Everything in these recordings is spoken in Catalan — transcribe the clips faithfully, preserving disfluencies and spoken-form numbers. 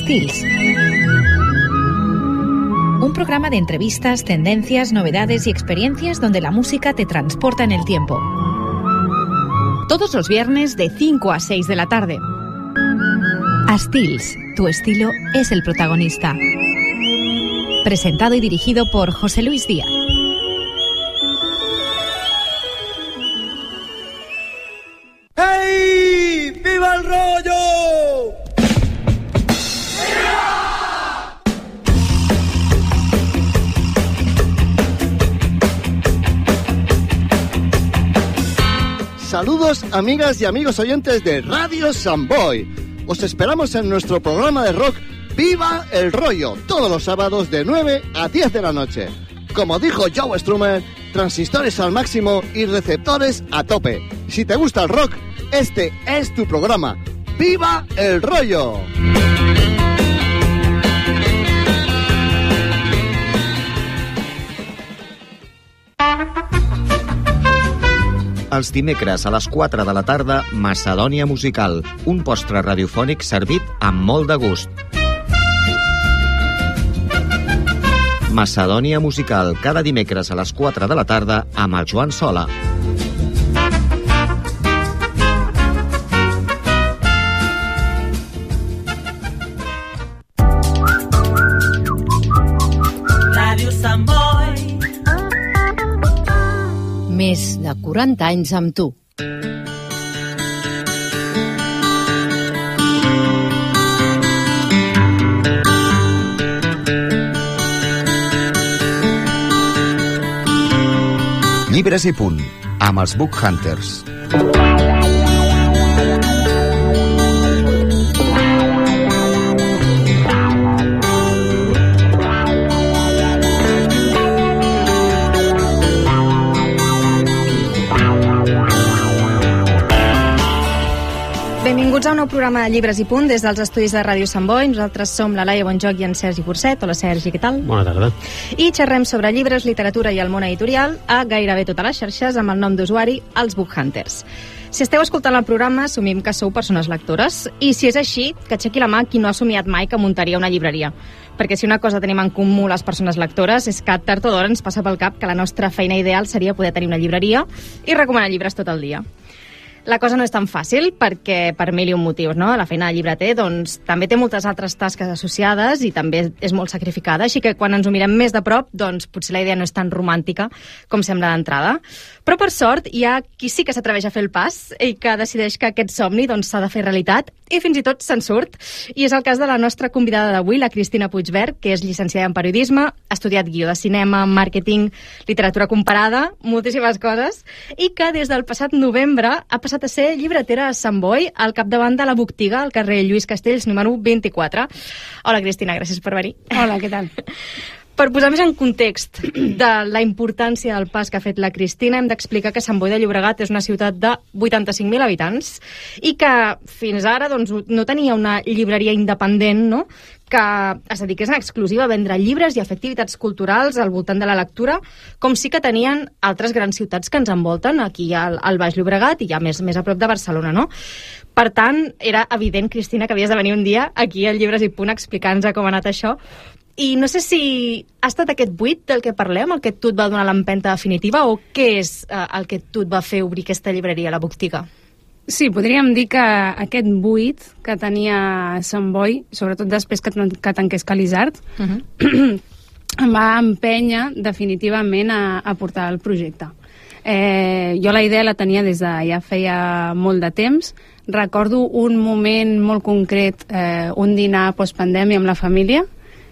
Styls. Un programa de entrevistas, tendencias, novedades y experiencias donde la música te transporta en el tiempo. Todos los viernes de cinco a seis de la tarde. Styls, tu estilo es el protagonista. Presentado y dirigido por José Luis Díaz. ¡Hey! ¡Viva el rollo! Saludos, amigas y amigos oyentes de Radio Samboy. Os esperamos en nuestro programa de rock ¡Viva el rollo! Todos los sábados de nueve a diez de la noche. Como dijo Joe Strummer, transistores al máximo y receptores a tope. Si te gusta el rock, este es tu programa. ¡Viva el rollo! Els dimecres a les quatre de la tarda, Macedònia Musical, un postre radiofònic servit amb molt de gust. Macedònia Musical, cada dimecres a les quatre de la tarda amb el Joan Sola. Ràdio Sant Boi. Més de quaranta anys amb tu. Llibres i punt, amb els Book Hunters. Benvinguts a un nou programa de Llibres i Punt des dels estudis de Ràdio Sant Boi. Nosaltres som la Laia Bonjoc i en Sergi Burcet. Hola, Sergi, què tal? Bona tarda. I xerrem sobre llibres, literatura i el món editorial a gairebé totes les xarxes amb el nom d'usuari Els Book Hunters. Si esteu escoltant el programa, assumim que sou persones lectores. I si és així, que aixequi la mà qui no ha somiat mai que muntaria una llibreria. Perquè si una cosa tenim en comú les persones lectores és que tard o d'hora ens passa pel cap que la nostra feina ideal seria poder tenir una llibreria i recomanar llibres tot el dia. La cosa no és tan fàcil perquè per mil i un motius, no? La feina de llibreter doncs, també té moltes altres tasques associades i també és molt sacrificada, així que quan ens ho mirem més de prop, doncs potser la idea no és tan romàntica com sembla d'entrada. Però per sort hi ha qui sí que s'atreveix a fer el pas i que decideix que aquest somni doncs, s'ha de fer realitat i fins i tot se'n surt. I és el cas de la nostra convidada d'avui, la Cristina Puigvert, que és llicenciada en periodisme, ha estudiat guió de cinema, màrqueting, literatura comparada, moltíssimes coses, i que des del passat novembre ha passat a ser llibretera a Sant Boi, al capdavant de la Botiga, al carrer Lluís Castells, número vint-i-quatre. Hola, Cristina, gràcies per venir. Hola, què tal? Per posar més en context de la importància del pas que ha fet la Cristina, hem d'explicar que Sant Boi de Llobregat és una ciutat de vuitanta-cinc mil habitants i que fins ara doncs, no tenia una llibreria independent, no?, que es dediqués en exclusiva a vendre llibres i a fer activitats culturals al voltant de la lectura, com sí que tenien altres grans ciutats que ens envolten, aquí al, al Baix Llobregat i ja més, més a prop de Barcelona, no? Per tant, era evident, Cristina, que havies de venir un dia aquí al Llibres i Punt a explicar-nos com ha anat això. I no sé si ha estat aquest buit del que parlem, el que tu et va donar l'empenta definitiva, o què és eh, el que tu et va fer obrir aquesta llibreria, la Botiga? Sí, podríem dir que aquest buit que tenia Sant Boi, sobretot després que, que tanqués Calisart, uh-huh. em va empènyer definitivament a, a portar el projecte. Eh, jo la idea la tenia des de ja feia molt de temps. Recordo un moment molt concret, eh, un dinar postpandèmia amb la família.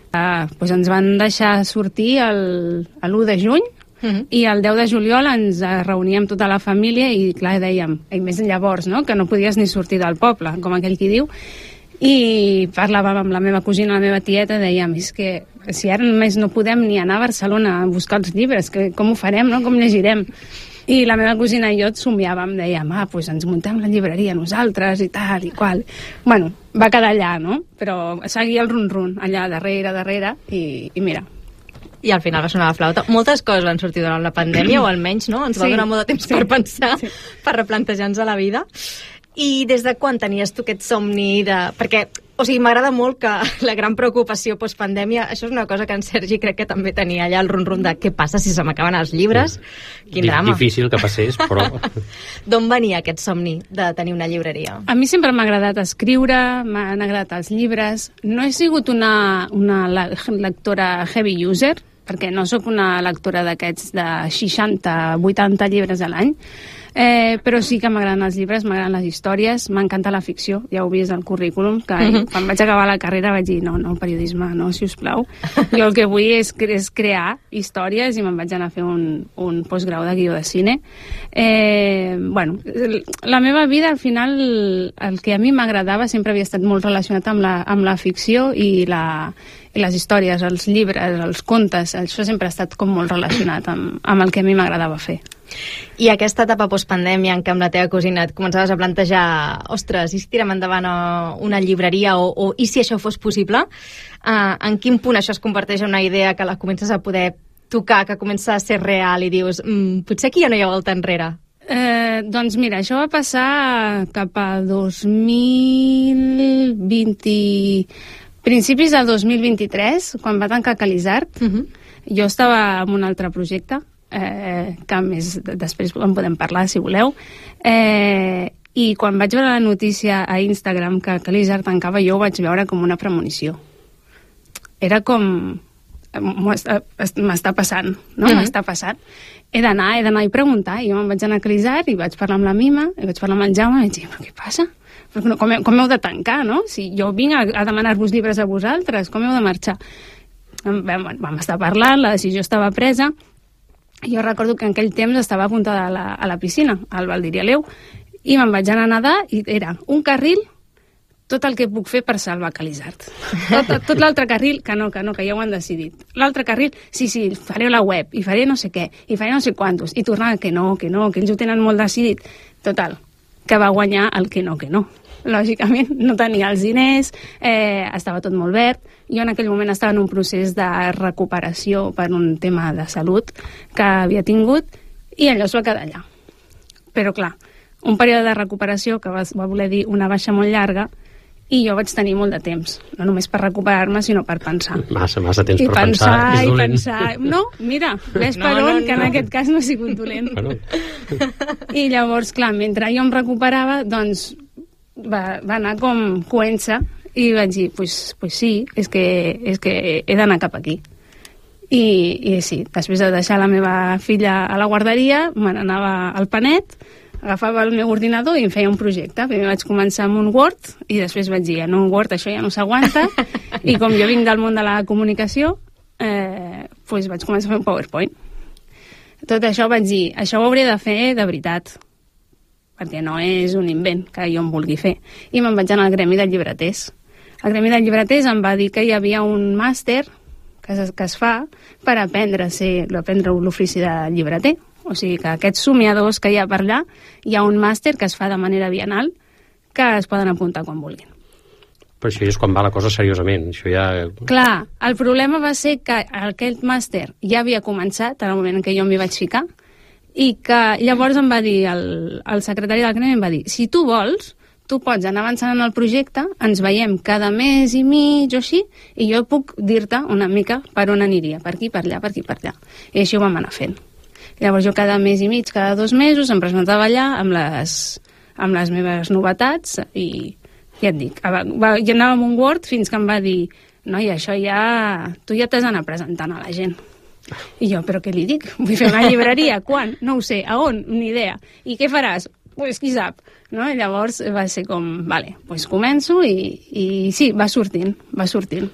Eh, doncs ens van deixar sortir l'u de juny, Uh-huh. i el deu de juliol ens reuníem tota la família i clar, dèiem, i més llavors, no?, que no podies ni sortir del poble, com aquell qui diu, i parlàvem amb la meva cosina, la meva tieta, dèiem, és que si ara només no podem ni anar a Barcelona a buscar els llibres, que, com ho farem, no?, com llegirem? I la meva cosina i jo et somiàvem, dèiem, ah, doncs ens muntem la llibreria nosaltres i tal i qual. Bueno, va quedar allà, no?, però seguia el run-run, allà darrere, darrere, i, i mira, i al final va sonar la flauta. Moltes coses van sortir durant la pandèmia, o almenys, no? Ens va sí, donar molt de temps sí, per pensar, sí. per replantejar-nos la vida. I des de quan tenies tu aquest somni de... Perquè O sigui, m'agrada molt que la gran preocupació postpandèmia, això és una cosa que en Sergi crec que també tenia allà el rum-rum de què passa si se m'acaben els llibres. Quin drama. Difícil que passés, però... D'on venia aquest somni de tenir una llibreria? A mi sempre m'ha agradat escriure, m'han agradat els llibres. No he sigut una, una lectora heavy user, perquè no sóc una lectora d'aquests de seixanta vuitanta llibres a l'any, Eh, però sí que m'agraden els llibres, m'agraden les històries, m'encanta la ficció, ja ho he vist al currículum, que uh-huh. quan vaig acabar la carrera vaig dir, no, no, el periodisme, no, sisplau. Jo el que vull és, és crear històries i me'n vaig anar a fer un, un postgrau de guió de cine. Eh, bueno, la meva vida, al final, el que a mi m'agradava sempre havia estat molt relacionat amb la, amb la ficció i, la, i les històries, els llibres, els contes, això sempre ha estat com molt relacionat amb, amb el que a mi m'agradava fer. I aquesta etapa postpandèmia en què amb la teva cosina et començaves a plantejar, ostres, i si tirem endavant una llibreria o, o i si això fos possible, uh, en quin punt això es converteix en una idea que la comences a poder tocar, que comença a ser real i dius, mm, potser aquí ja no hi ha volta enrere? Eh, doncs mira, això va passar cap a dos mil vint... principis del dos mil vint-i-tres, quan va tancar Calisart. Uh-huh. Jo estava en un altre projecte, Eh, que més després en podem parlar si voleu, eh, i quan vaig veure la notícia a Instagram que Calisart tancava, jo ho vaig veure com una premonició. Era com m'està passant, no? Uh-huh. M'està passant. He d'anar, he d'anar i preguntar, i jo me'n vaig anar a Calisart i vaig parlar amb la Mima, i vaig parlar amb el Jaume i vaig dir, però què passa? Però com, com heu de tancar, no? Si jo vinc a, a demanar-vos llibres a vosaltres, com heu de marxar? Vam, vam estar parlant, la decisió estava presa. Jo recordo que en aquell temps estava apuntada a la, a la piscina, al Valdir i Aleu, i me'n vaig anar a nedar i era un carril, tot el que puc fer per salvar Calisart. Tot, tot l'altre carril, que no, que no, que ja ho han decidit. L'altre carril, sí, sí, faré la web, i faré no sé què, i faré no sé quantos, i tornava que no, que no, que ells ho tenen molt decidit. Total, que va guanyar el que no, que no. Lògicament, no tenia els diners, eh, estava tot molt verd. Jo en aquell moment estava en un procés de recuperació per un tema de salut que havia tingut i allò es va quedar allà. Però clar, un període de recuperació que va, va voler dir una baixa molt llarga i jo vaig tenir molt de temps, no només per recuperar-me, sinó per pensar. Massa, massa temps I per pensar, pensar és dolent. I pensar. No, mira, ves no, per on, no, no. que en aquest cas no ha sigut dolent. Bueno. I llavors, clar, mentre jo em recuperava, doncs va, va anar com coent-se i vaig dir, pues, pues sí, és que, és que he d'anar cap aquí. I, I sí, després de deixar la meva filla a la guarderia, me n'anava al Panet, agafava el meu ordinador i em feia un projecte. Primer vaig començar amb un Word i després vaig dir, en un Word això ja no s'aguanta, i com jo vinc del món de la comunicació, eh, pues vaig començar a fer un PowerPoint. Tot això vaig dir, això ho hauré de fer de veritat, perquè no és un invent que jo em vulgui fer. I me'n vaig anar al Gremi de Llibreters. El Gremi de Llibreters em va dir que hi havia un màster que es, que es fa per aprendre a ser, aprendre l'ofici de llibreter. O sigui que aquests somiadors que hi ha per allà, hi ha un màster que es fa de manera bienal que es poden apuntar quan vulguin. Però això és quan va la cosa seriosament. Això ja... Clar, el problema va ser que aquest màster ja havia començat en el moment en què jo m'hi vaig ficar i que llavors em va dir, el, el secretari del Gremi em va dir, si tu vols, tu pots anar avançant en el projecte, ens veiem cada mes i mig o així, i jo puc dir-te una mica per on aniria, per aquí, per allà, per aquí, per allà. I així ho vam anar fent. Llavors jo cada mes i mig, cada dos mesos, em presentava allà amb les, amb les meves novetats i ja et dic, va, va, jo anava amb un Word fins que em va dir, noi, això ja... tu ja t'has d'anar presentant a la gent. I jo, però què li dic? Vull fer una llibreria, quan? No ho sé, a on? Ni idea. I què faràs? Pues qui sap, no? I llavors va ser com, vale, pues començo i, i sí, va sortint, va sortint.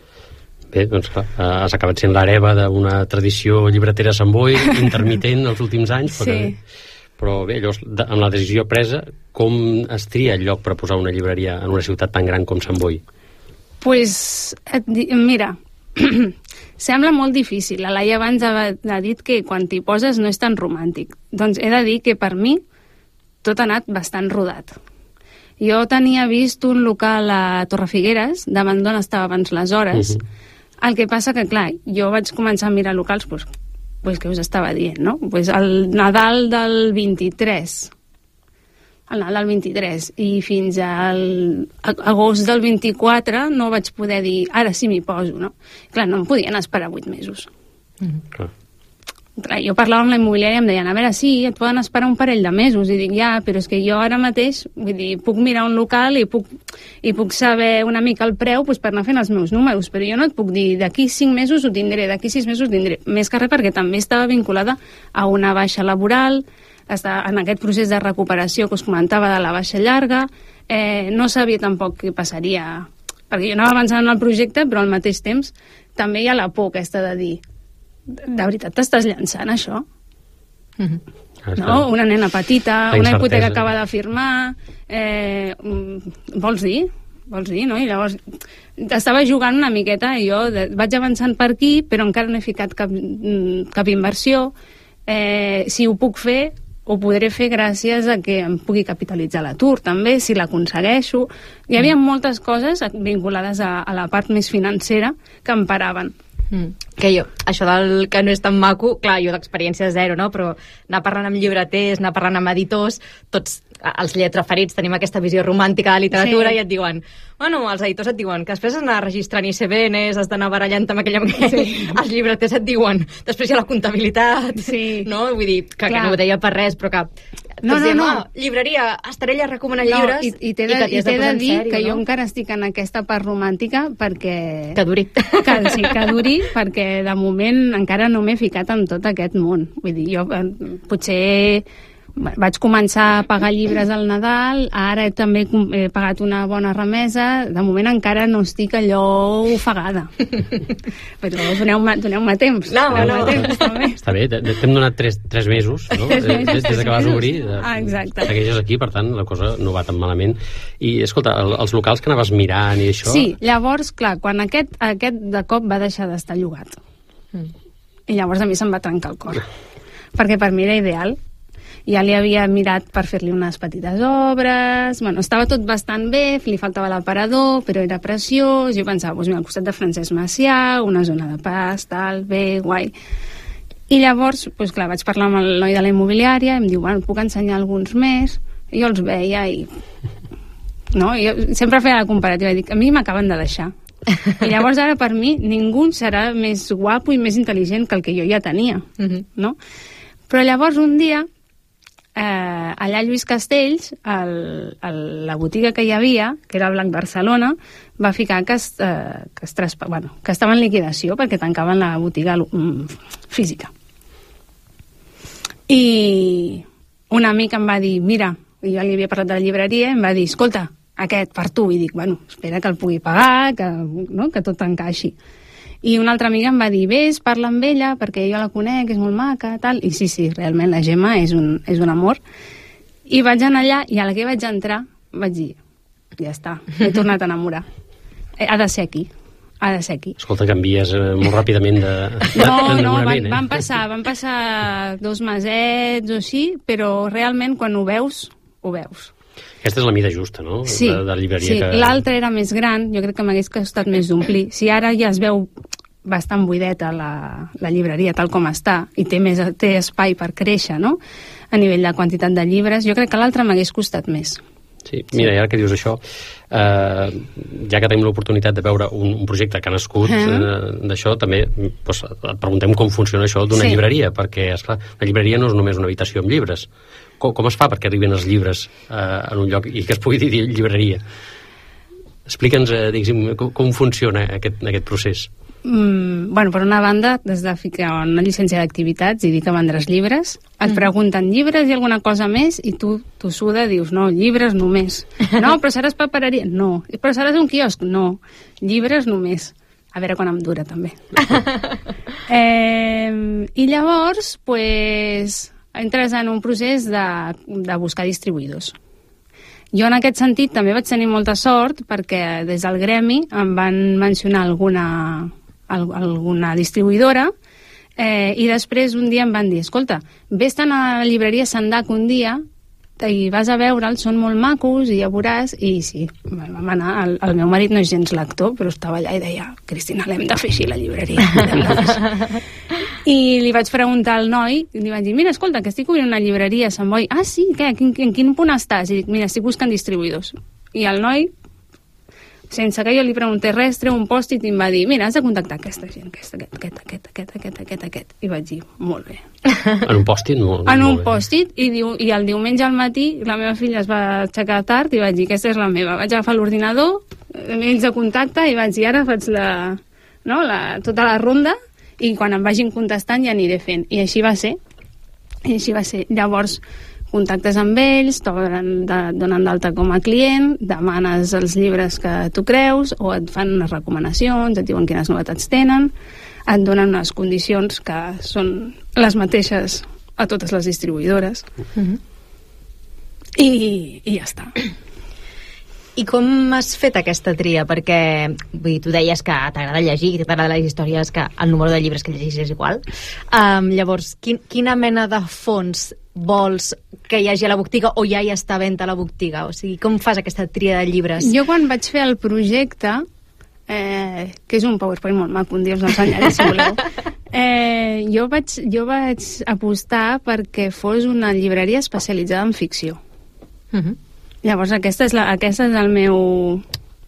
Bé, doncs clar, has acabat sent l'hereva d'una tradició llibretera a Sant Boi, intermitent els últims anys, però, sí. Però bé, llavors, amb la decisió presa, com es tria el lloc per posar una llibreria en una ciutat tan gran com Sant Boi? Pues, et, mira, sembla molt difícil. La Laia abans ha, ha dit que quan t'hi poses no és tan romàntic. Doncs he de dir que per mi tot ha anat bastant rodat. Jo tenia vist un local a Torrefigueres, davant d'on estava abans les hores. Uh-huh. El que passa que, clar, jo vaig començar a mirar locals, pues, pues que us estava dient, no? Pues el Nadal del vint-i-tres, el Nadal del vint-i-tres, i fins al agost del vint-i-quatre no vaig poder dir, ara sí m'hi poso, no? Clar, no em podien esperar vuit mesos. Mm. Clar. Clar, jo parlava amb la immobiliària i em deien, a veure, sí, et poden esperar un parell de mesos, i dic, ja, però és que jo ara mateix, vull dir, puc mirar un local i puc, i puc saber una mica el preu doncs, per anar fent els meus números, però jo no et puc dir, d'aquí cinc mesos ho tindré, d'aquí sis mesos ho tindré, més que res perquè també estava vinculada a una baixa laboral, està en aquest procés de recuperació que us comentava de la baixa llarga, eh, no sabia tampoc què passaria, perquè jo anava avançant en el projecte, però al mateix temps també hi ha la por aquesta de dir, de veritat t'estàs llançant això? Mm-hmm. No? Una nena petita, una hipoteca que acaba de firmar, eh, vols dir? Vols dir, no? I llavors estava jugant una miqueta i jo de, vaig avançant per aquí, però encara no he ficat cap, cap inversió. Eh, si ho puc fer, ho podré fer gràcies a que em pugui capitalitzar l'atur, també, si l'aconsegueixo. Hi havia moltes coses vinculades a, a la part més financera que em paraven. Mm. Que jo, això del que no és tan maco, clar, jo d'experiència zero, no? Però anar parlant amb llibreters, anar parlant amb editors, tots els lletraferits tenim aquesta visió romàntica de la literatura, sí. I et diuen, bueno, els editors et diuen que després has d'anar registrant I C B Ns, has d'anar barallant amb aquell amb aquell, sí. Els llibreters et diuen, després hi ha la comptabilitat, sí. No? Vull dir, que, que no ho deia per res, però que no, no, diem, no. Oh, llibreria, Estarella recomana no, llibres, i, i t'he de, i de, de dir sèrio, que no? Jo encara estic en aquesta part romàntica perquè... Que duri. Que, sí, que duri, perquè de moment encara no m'he ficat en tot aquest món. Vull dir, jo potser vaig començar a pagar llibres al Nadal, ara també he pagat una bona remesa, de moment encara no estic allò ofegada. Però doneu-me doneu temps. No, doneu no. Temps, també. Està bé, t'hem donat tres, tres mesos, no? Tres mesos, des, des que vas obrir. Ah, exacte. Segueixes aquí, per tant, la cosa no va tan malament. I, escolta, el, els locals que anaves mirant i això... Sí, llavors, clar, quan aquest, aquest de cop va deixar d'estar llogat. Mm. I llavors a mi se'm va trencar el cor. Perquè per mi era ideal. Ja li havia mirat per fer-li unes petites obres, bueno, estava tot bastant bé, li faltava l'aparador, però era preciós, jo pensava, doncs mira, al costat de Francesc Macià, una zona de pas, tal, bé, guai. I llavors, doncs clar, vaig parlar amb el noi de la immobiliària, i em diu, bueno, puc ensenyar alguns més, i jo els veia i... No, jo sempre feia la comparativa, i dic, a mi m'acaben de deixar. I llavors ara per mi ningú serà més guapo i més intel·ligent que el que jo ja tenia, uh-huh. No? Però llavors un dia Eh, allà a Lluís Castells, el, el, la botiga que hi havia, que era Blanc Barcelona, va ficar que, es, eh, que, es traspa, bueno, que estava en liquidació perquè tancaven la botiga mm, física. I un amic em va dir, mira, jo li havia parlat de la llibreria, em va dir, escolta, aquest per tu, i dic, bueno, espera que el pugui pagar, que, no, que tot encaixi. I una altra amiga em va dir, ves, parla amb ella, perquè jo la conec, és molt maca, tal. I sí, sí, realment la Gemma és un, és un amor. I vaig anar allà, i a la que vaig entrar, vaig dir, ja està, m'he tornat a enamorar. Ha de ser aquí, ha de ser aquí. Escolta, canvies eh, molt ràpidament de, de No, no, van, eh? van, passar, van passar dos mesets o així, però realment quan ho veus, ho veus. Aquesta és la mida justa, no? Sí, de, de llibreria sí. Que... L'altra era més gran, jo crec que m'hagués costat més d'omplir. Si ara ja es veu bastant buideta la, la llibreria tal com està i té, més, té espai per créixer, no? A nivell de quantitat de llibres, jo crec que l'altra m'hagués costat més. Sí, mira, i ara que dius això, eh, ja que tenim l'oportunitat de veure un, un projecte que ha nascut uh -huh. eh, d'això, també doncs, et preguntem com funciona això d'una sí. llibreria, perquè, esclar, la llibreria no és només una habitació amb llibres. Com, com es fa perquè arriben els llibres eh, en un lloc i que es pugui dir llibreria? Explica'ns, eh, diguéssim, com, com funciona aquest, aquest procés. Mm, bueno, per una banda, des de ficar una llicència d'activitats i dir que vendràs llibres, et mm. pregunten llibres i alguna cosa més i tu, tu suda, dius, no, llibres només. No, però seràs papereria? No. Però seràs un quiosc? No. Llibres només. A veure quan em dura, també. eh, I llavors, pues, entres en un procés de, de buscar distribuïdors. Jo en aquest sentit també vaig tenir molta sort perquè des del gremi em van mencionar alguna, alguna distribuïdora eh, i després un dia em van dir, escolta, vés-te'n a la llibreria Sandac un dia, i vas a veure'ls, són molt macos i ja veuràs, i sí, vam anar, el, el meu marit no és gens lector, però estava allà i deia, Cristina, l'hem de fer així la llibreria, l'hem de fer així. I li vaig preguntar al noi, i li vaig dir, mira, escolta, que estic obrint una llibreria a Sant Boi. Ah, sí? Què? En, en quin punt estàs? I dic, mira, estic buscant distribuïdors. I el noi, sense que jo li preguntés res, treu un pòstit i em va dir, mira, has de contactar aquesta gent, aquest, aquest, aquest, aquest, aquest, aquest, aquest, aquest. I vaig dir, molt bé. En un pòstit? Molt, en un molt pòstit, i, diu, i el diumenge al matí la meva filla es va aixecar tard i vaig dir, aquesta és la meva. Vaig agafar l'ordinador, ells de contacte, i vaig dir, ara faig la, no, la, tota la ronda, i quan em vagin contestant ja aniré fent. I així va ser. I així va ser. Llavors, contactes amb ells, donen d'alta com a client, demanes els llibres que tu creus, o et fan unes recomanacions, et diuen quines novetats tenen, et donen unes condicions que són les mateixes a totes les distribuïdores. Mm-hmm. I, i ja està. I com has fet aquesta tria? Perquè vull dir, tu deies que t'agrada llegir, que t'agrada les històries, que el número de llibres que llegis és igual. Um, llavors, quin, quina mena de fons vols que hi hagi a la botiga o ja hi està a venda a la botiga? O sigui, com fas aquesta tria de llibres? Jo quan vaig fer el projecte, eh, que és un PowerPoint molt maco, un dia us l'ensenyaré si voleu, eh, jo, vaig, jo vaig apostar perquè fos una llibreria especialitzada en ficció. Uh-huh. Llavors aquesta és, la, aquesta és el meu,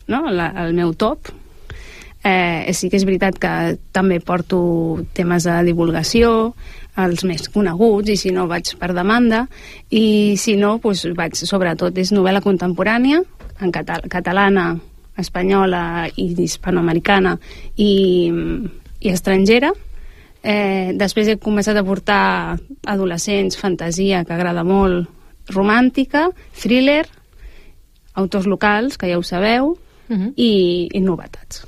no? la, el meu top. Eh, sí que és veritat que també porto temes de divulgació, els més coneguts, i si no vaig per demanda, i si no, doncs vaig, sobretot és novel·la contemporània, en català, catalana, espanyola i hispanoamericana i, i estrangera. Eh, després he començat a portar adolescents, fantasia, que agrada molt, romàntica, thriller, autors locals, que ja ho sabeu, uh-huh. i, i novetats.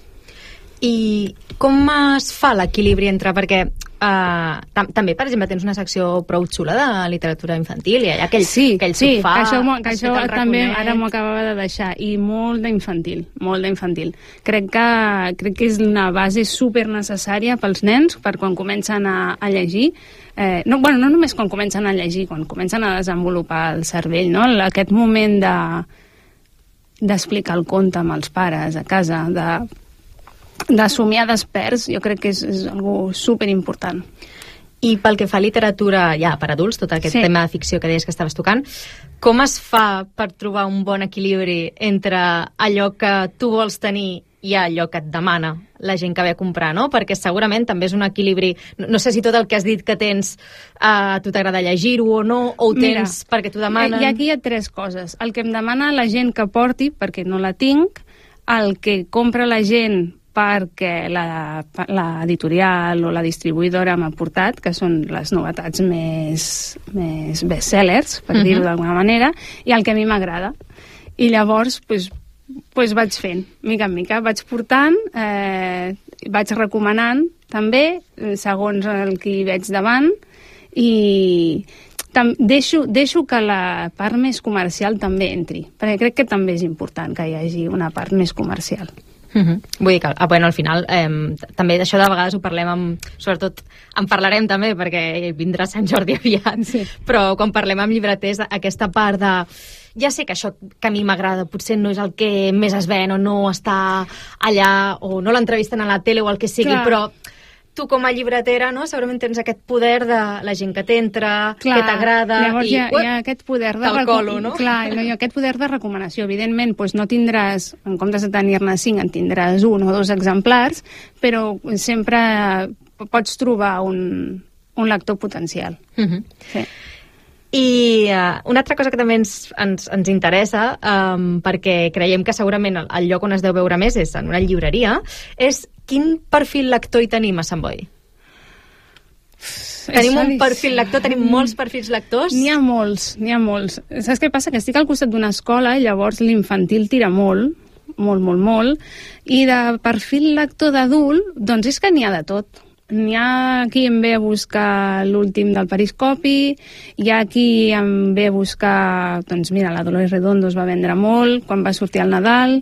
I com es fa l'equilibri entre... Perquè uh, tam també, per exemple, tens una secció prou xula de literatura infantil i allà aquell, sí, aquell sí, sofà... que això, que això també raconet. ara m'ho acabava de deixar. I molt d'infantil, molt d'infantil. Crec que, crec que és una base super necessària pels nens, per quan comencen a, a llegir. Eh, no, bueno, no només quan comencen a llegir, quan comencen a desenvolupar el cervell, no? Aquest moment de d'explicar el conte amb els pares a casa, de, de somiar desperts, jo crec que és, és algo superimportant. I pel que fa a literatura ja per adults, tot aquest sí. tema de ficció que deies que estaves tocant, com es fa per trobar un bon equilibri entre allò que tu vols tenir i allò que et demana la gent que ve a comprar, no? Perquè segurament també és un equilibri... No, no sé si tot el que has dit que tens a uh, tu t'agrada llegir-ho o no, o ho Mira, tens perquè t'ho demanen... I aquí hi ha tres coses. El que em demana la gent que porti, perquè no la tinc, el que compra la gent perquè l'editorial o la distribuïdora m'ha portat, que són les novetats més, més bestsellers, per uh-huh. dir-ho d'alguna manera, i el que a mi m'agrada. I llavors, doncs, pues vaig fent, mica en mica, vaig portant, eh, vaig recomanant també, segons el que hi veig davant, i tam deixo, deixo que la part més comercial també entri, perquè crec que també és important que hi hagi una part més comercial. Uh-huh. Vull dir que, ah, bueno, al final eh, també d'això de vegades ho parlem amb, sobretot en parlarem també perquè vindrà Sant Jordi aviat, sí. Però quan parlem amb llibreters aquesta part de ja sé que això que a mi m'agrada potser no és el que més es ven o no està allà o no l'entrevisten a la tele o el que sigui, clar. Però tu com a llibretera, no? Segurament tens aquest poder de la gent que t'entra, que t'agrada... Llavors i, hi, ha, hi ha aquest poder de... Colo, no? Clar, no, hi ha aquest poder de recomanació. Evidentment, doncs no tindràs, en comptes de tenir-ne cinc, en tindràs un o dos exemplars, però sempre pots trobar un, un lector potencial. Uh-huh. Sí. I uh, una altra cosa que també ens, ens, ens interessa, um, perquè creiem que segurament el, el lloc on es deu veure més és en una llibreria, és quin perfil lector hi tenim a Sant Boi? Tenim un perfil lector, tenim molts perfils lectors? N'hi ha molts, n'hi ha molts. Saps què passa? Que estic al costat d'una escola i llavors l'infantil tira molt, molt, molt, molt, i de perfil lector d'adult, doncs és que n'hi ha de tot. N'hi ha qui em ve a buscar l'últim del Periscopi, hi ha qui em ve a buscar, doncs mira, la Dolores Redondo es va vendre molt quan va sortir al Nadal,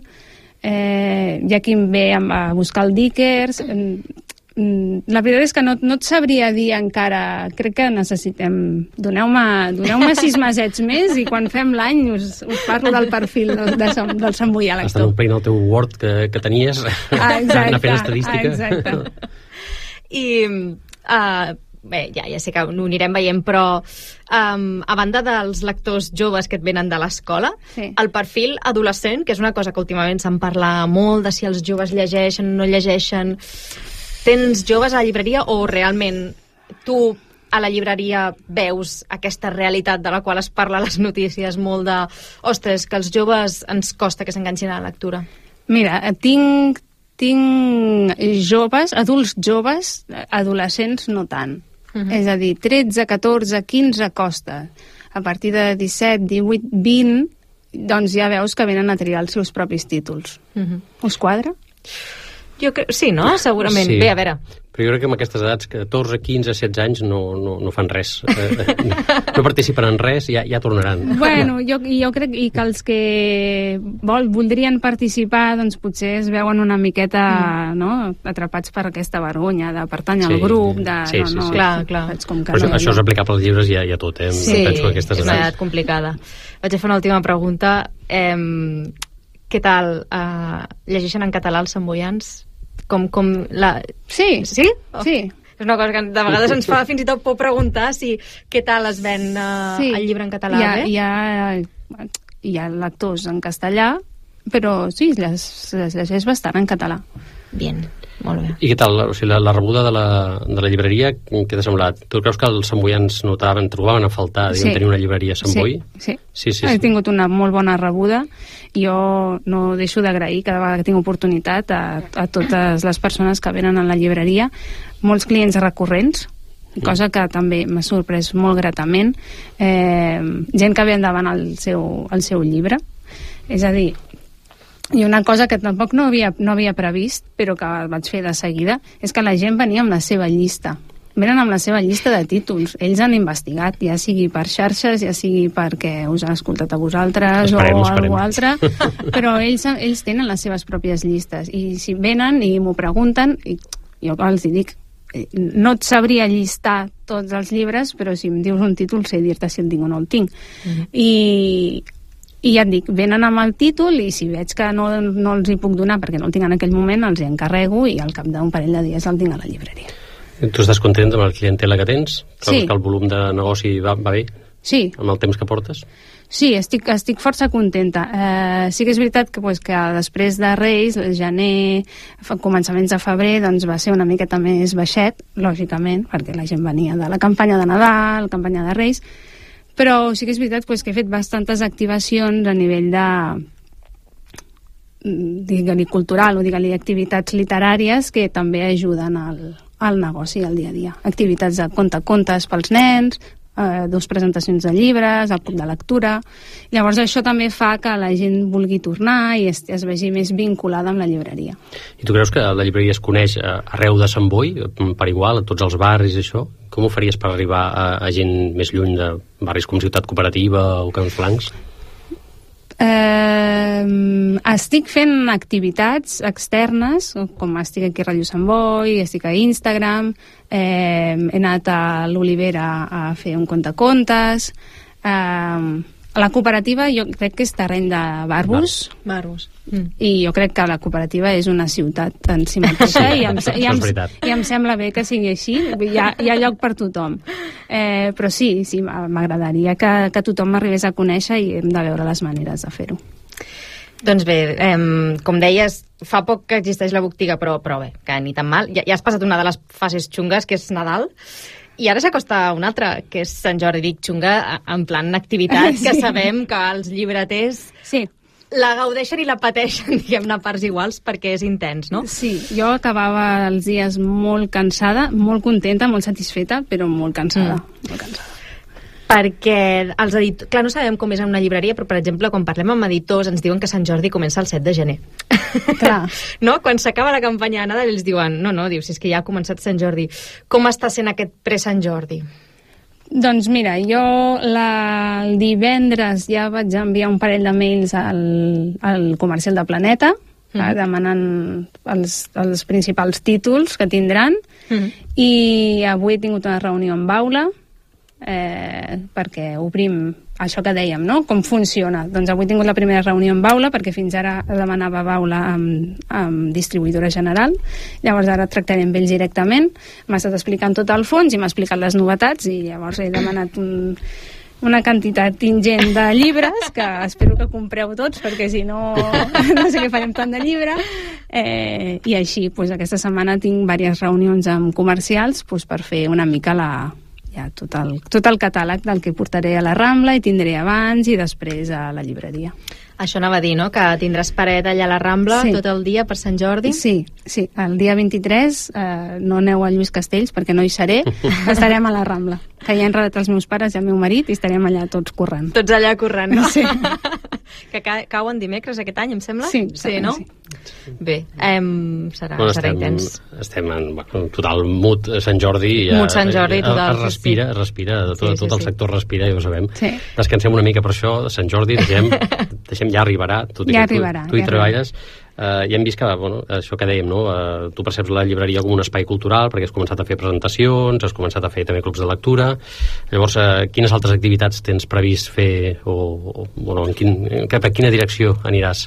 eh, hi ha qui em ve a buscar el Dickers, la veritat és que no, no et sabria dir encara. Crec que necessitem... Doneu-me doneu sis mesets més i quan fem l'any us, us parlo del perfil de, de, del Sant Boià lector. Estan omplint el teu Word que, que tenies, ah, exacte, anar fent estadística. Ah, exacte. I... Uh, bé, ja, ja sé que ho anirem veient, però um, a banda dels lectors joves que et venen de l'escola, sí. el perfil adolescent, que és una cosa que últimament se'n parla molt, de si els joves llegeixen o no llegeixen, tens joves a la llibreria o realment tu a la llibreria veus aquesta realitat de la qual es parla a les notícies molt de, ostres, que els joves ens costa que s'enganxin a la lectura? Mira, tinc, tinc joves, adults joves, adolescents no tant. Uh-huh. És a dir, tretze, catorze, quinze costa. A partir de disset, divuit, vint, doncs ja veus que venen a triar els seus propis títols. Uh-huh. Us quadra? Jo crec, sí, no? Segurament. Sí. Bé, a veure... Però jo crec que amb aquestes edats, catorze, quinze, setze anys, no, no, no fan res. No participen en res, ja, ja tornaran. Bueno, jo, jo crec i que els que vol, voldrien participar, doncs potser es veuen una miqueta mm. no, atrapats per aquesta vergonya de pertany al sí, grup, de... Sí, no, sí, no, sí. Clar, clar. Com que Però no, això, això és aplicable als llibres i a, i a tot, eh? Sí, Penso que aquestes és una edats... edat complicada. Vaig a fer una última pregunta. Eh, què tal? Eh, llegeixen en català els samboians? Com, com la... Sí, sí? Oh. Sí. És una cosa que de vegades ens fa fins i tot por preguntar si què tal es ven uh, sí. el llibre en català. Hi ha, bé? hi, ha, hi ha lectors en castellà, però sí, les, les llegeix bastant en català. Bien, molt bé. I què tal? O sigui, la, la rebuda de la, de la llibreria, què t'ha semblat? Tu creus que els samboians notaven, trobaven a faltar diguem, sí. tenir una llibreria a Sant Boi? Sí, sí. Sí, sí, He sí. tingut una molt bona rebuda. Jo no deixo d'agrair cada vegada que tinc oportunitat a, a totes les persones que venen a la llibreria, molts clients recurrents, cosa que també m'ha sorprès molt gratament, eh, gent que ve endavant el seu, el seu llibre. És a dir, i una cosa que tampoc no havia, no havia previst, però que vaig fer de seguida, és que la gent venia amb la seva llista. Venen amb la seva llista de títols. Ells han investigat, ja sigui per xarxes, ja sigui perquè us han escoltat a vosaltres esperem, o esperem. alguna altra, però ells, ells tenen les seves pròpies llistes. I si venen i m'ho pregunten, i jo els hi dic, no et sabria llistar tots els llibres, però si em dius un títol sé dir-te si el tinc o no el tinc. Mm-hmm. I, i ja et dic, venen amb el títol i si veig que no, no els hi puc donar perquè no el tinc en aquell moment, els hi encarrego i al cap d'un parell de dies el tinc a la llibreria. Tu estàs content amb la clientela que tens? Trobes Sí. que el volum de negoci va, va bé? Sí. Amb el temps que portes? Sí, estic, estic força contenta. Eh, sí que és veritat que, pues, que després de Reis, el gener, començaments de febrer, doncs va ser una miqueta més baixet, lògicament, perquè la gent venia de la campanya de Nadal, la campanya de Reis, però sí que és veritat pues, que he fet bastantes activacions a nivell de digue-li cultural o digue-li activitats literàries que també ajuden al, al negoci al dia a dia. Activitats de conta-contes pels nens, eh, dos presentacions de llibres, el club de lectura. Llavors això també fa que la gent vulgui tornar i es, es vegi més vinculada amb la llibreria. I tu creus que la llibreria es coneix arreu de Sant Boi, per igual, a tots els barris i això? Com ho faries per arribar a, a gent més lluny de barris com Ciutat Cooperativa o Camps Blancs? Eh, estic fent activitats externes, com estic aquí a Ràdio Sant Boi, estic a Instagram, eh, he anat a l'Olivera a fer un contacontes. Eh, a la cooperativa jo crec que és terreny de barbos, Barbos. Mm. i jo crec que la cooperativa és una ciutat en si mateixa i em, i em, i em sembla bé que sigui així, hi ha, hi ha lloc per tothom, eh, però sí, sí m'agradaria que, que tothom m'arribés a conèixer i hem de veure les maneres de fer-ho. Doncs bé, eh, com deies, fa poc que existeix la botiga, però, però bé, que ni tan mal. Ja, ja has passat una de les fases xungues, que és Nadal, i ara s'acosta una altra, que és Sant Jordi. Dic xunga en plan activitat, que sí. Sabem que els llibreters sí. la gaudeixen i la pateixen, diguem-ne, a parts iguals, perquè és intens, no? Sí, jo acabava els dies molt cansada, molt contenta, molt satisfeta, però molt cansada, mm. molt cansada. Perquè els editors... Clar, no sabem com és en una llibreria, però, per exemple, quan parlem amb editors ens diuen que Sant Jordi comença el set de gener. Clar. No? Quan s'acaba la campanya de Nadal, ells diuen no, no, diu, si és que ja ha començat Sant Jordi. Com està sent aquest pre-Sant Jordi? Doncs mira, jo la, el divendres ja vaig enviar un parell de mails al, al comercial de Planeta, mm-hmm. demanant els, els principals títols que tindran, mm-hmm. i avui he tingut una reunió amb Aula, eh, perquè obrim això que dèiem, no? Com funciona. Doncs avui he tingut la primera reunió amb Aula, perquè fins ara demanava Aula amb, amb distribuïdora general. Llavors ara tractaré amb ells directament. M'ha estat explicant tot el fons i m'ha explicat les novetats, i llavors he demanat un, una quantitat ingent de llibres, que espero que compreu tots, perquè si no, no sé què farem tant de llibre. Eh, I així, doncs, aquesta setmana tinc diverses reunions amb comercials, doncs, per fer una mica la... ja, tot, el, tot el catàleg del que portaré a la Rambla i tindré abans i després a la llibreria. Això anava a dir, no?, que tindràs paret allà a la Rambla, sí, tot el dia per Sant Jordi. Sí, sí. El dia vint-i-tres eh, no aneu a Lluís Castells perquè no hi seré, estarem a la Rambla. Que ja han redat els meus pares i el meu marit i estarem allà tots corrent. Tots allà corrent, no? Sí. Que ca cauen dimecres aquest any, em sembla? Sí, sí, no? Sí. Bé, em, serà, bueno, serà estem, intens. Estem en bueno, total mood Sant Jordi. Mood Sant Jordi, total. Es respira, es respira, tot, sí, sí, tot el sí. sector respira, ja ho sabem. Sí. Descansem una mica per això, Sant Jordi, deixem, deixem ja arribarà, tot i ja que tu, arribarà, tu hi ja treballes. Uh, ja hem vist que, bueno, això que dèiem, no? Uh, tu perceps la llibreria com un espai cultural perquè has començat a fer presentacions, has començat a fer també clubs de lectura. Llavors, uh, quines altres activitats tens previst fer o, o bueno, en quin, cap a quina direcció aniràs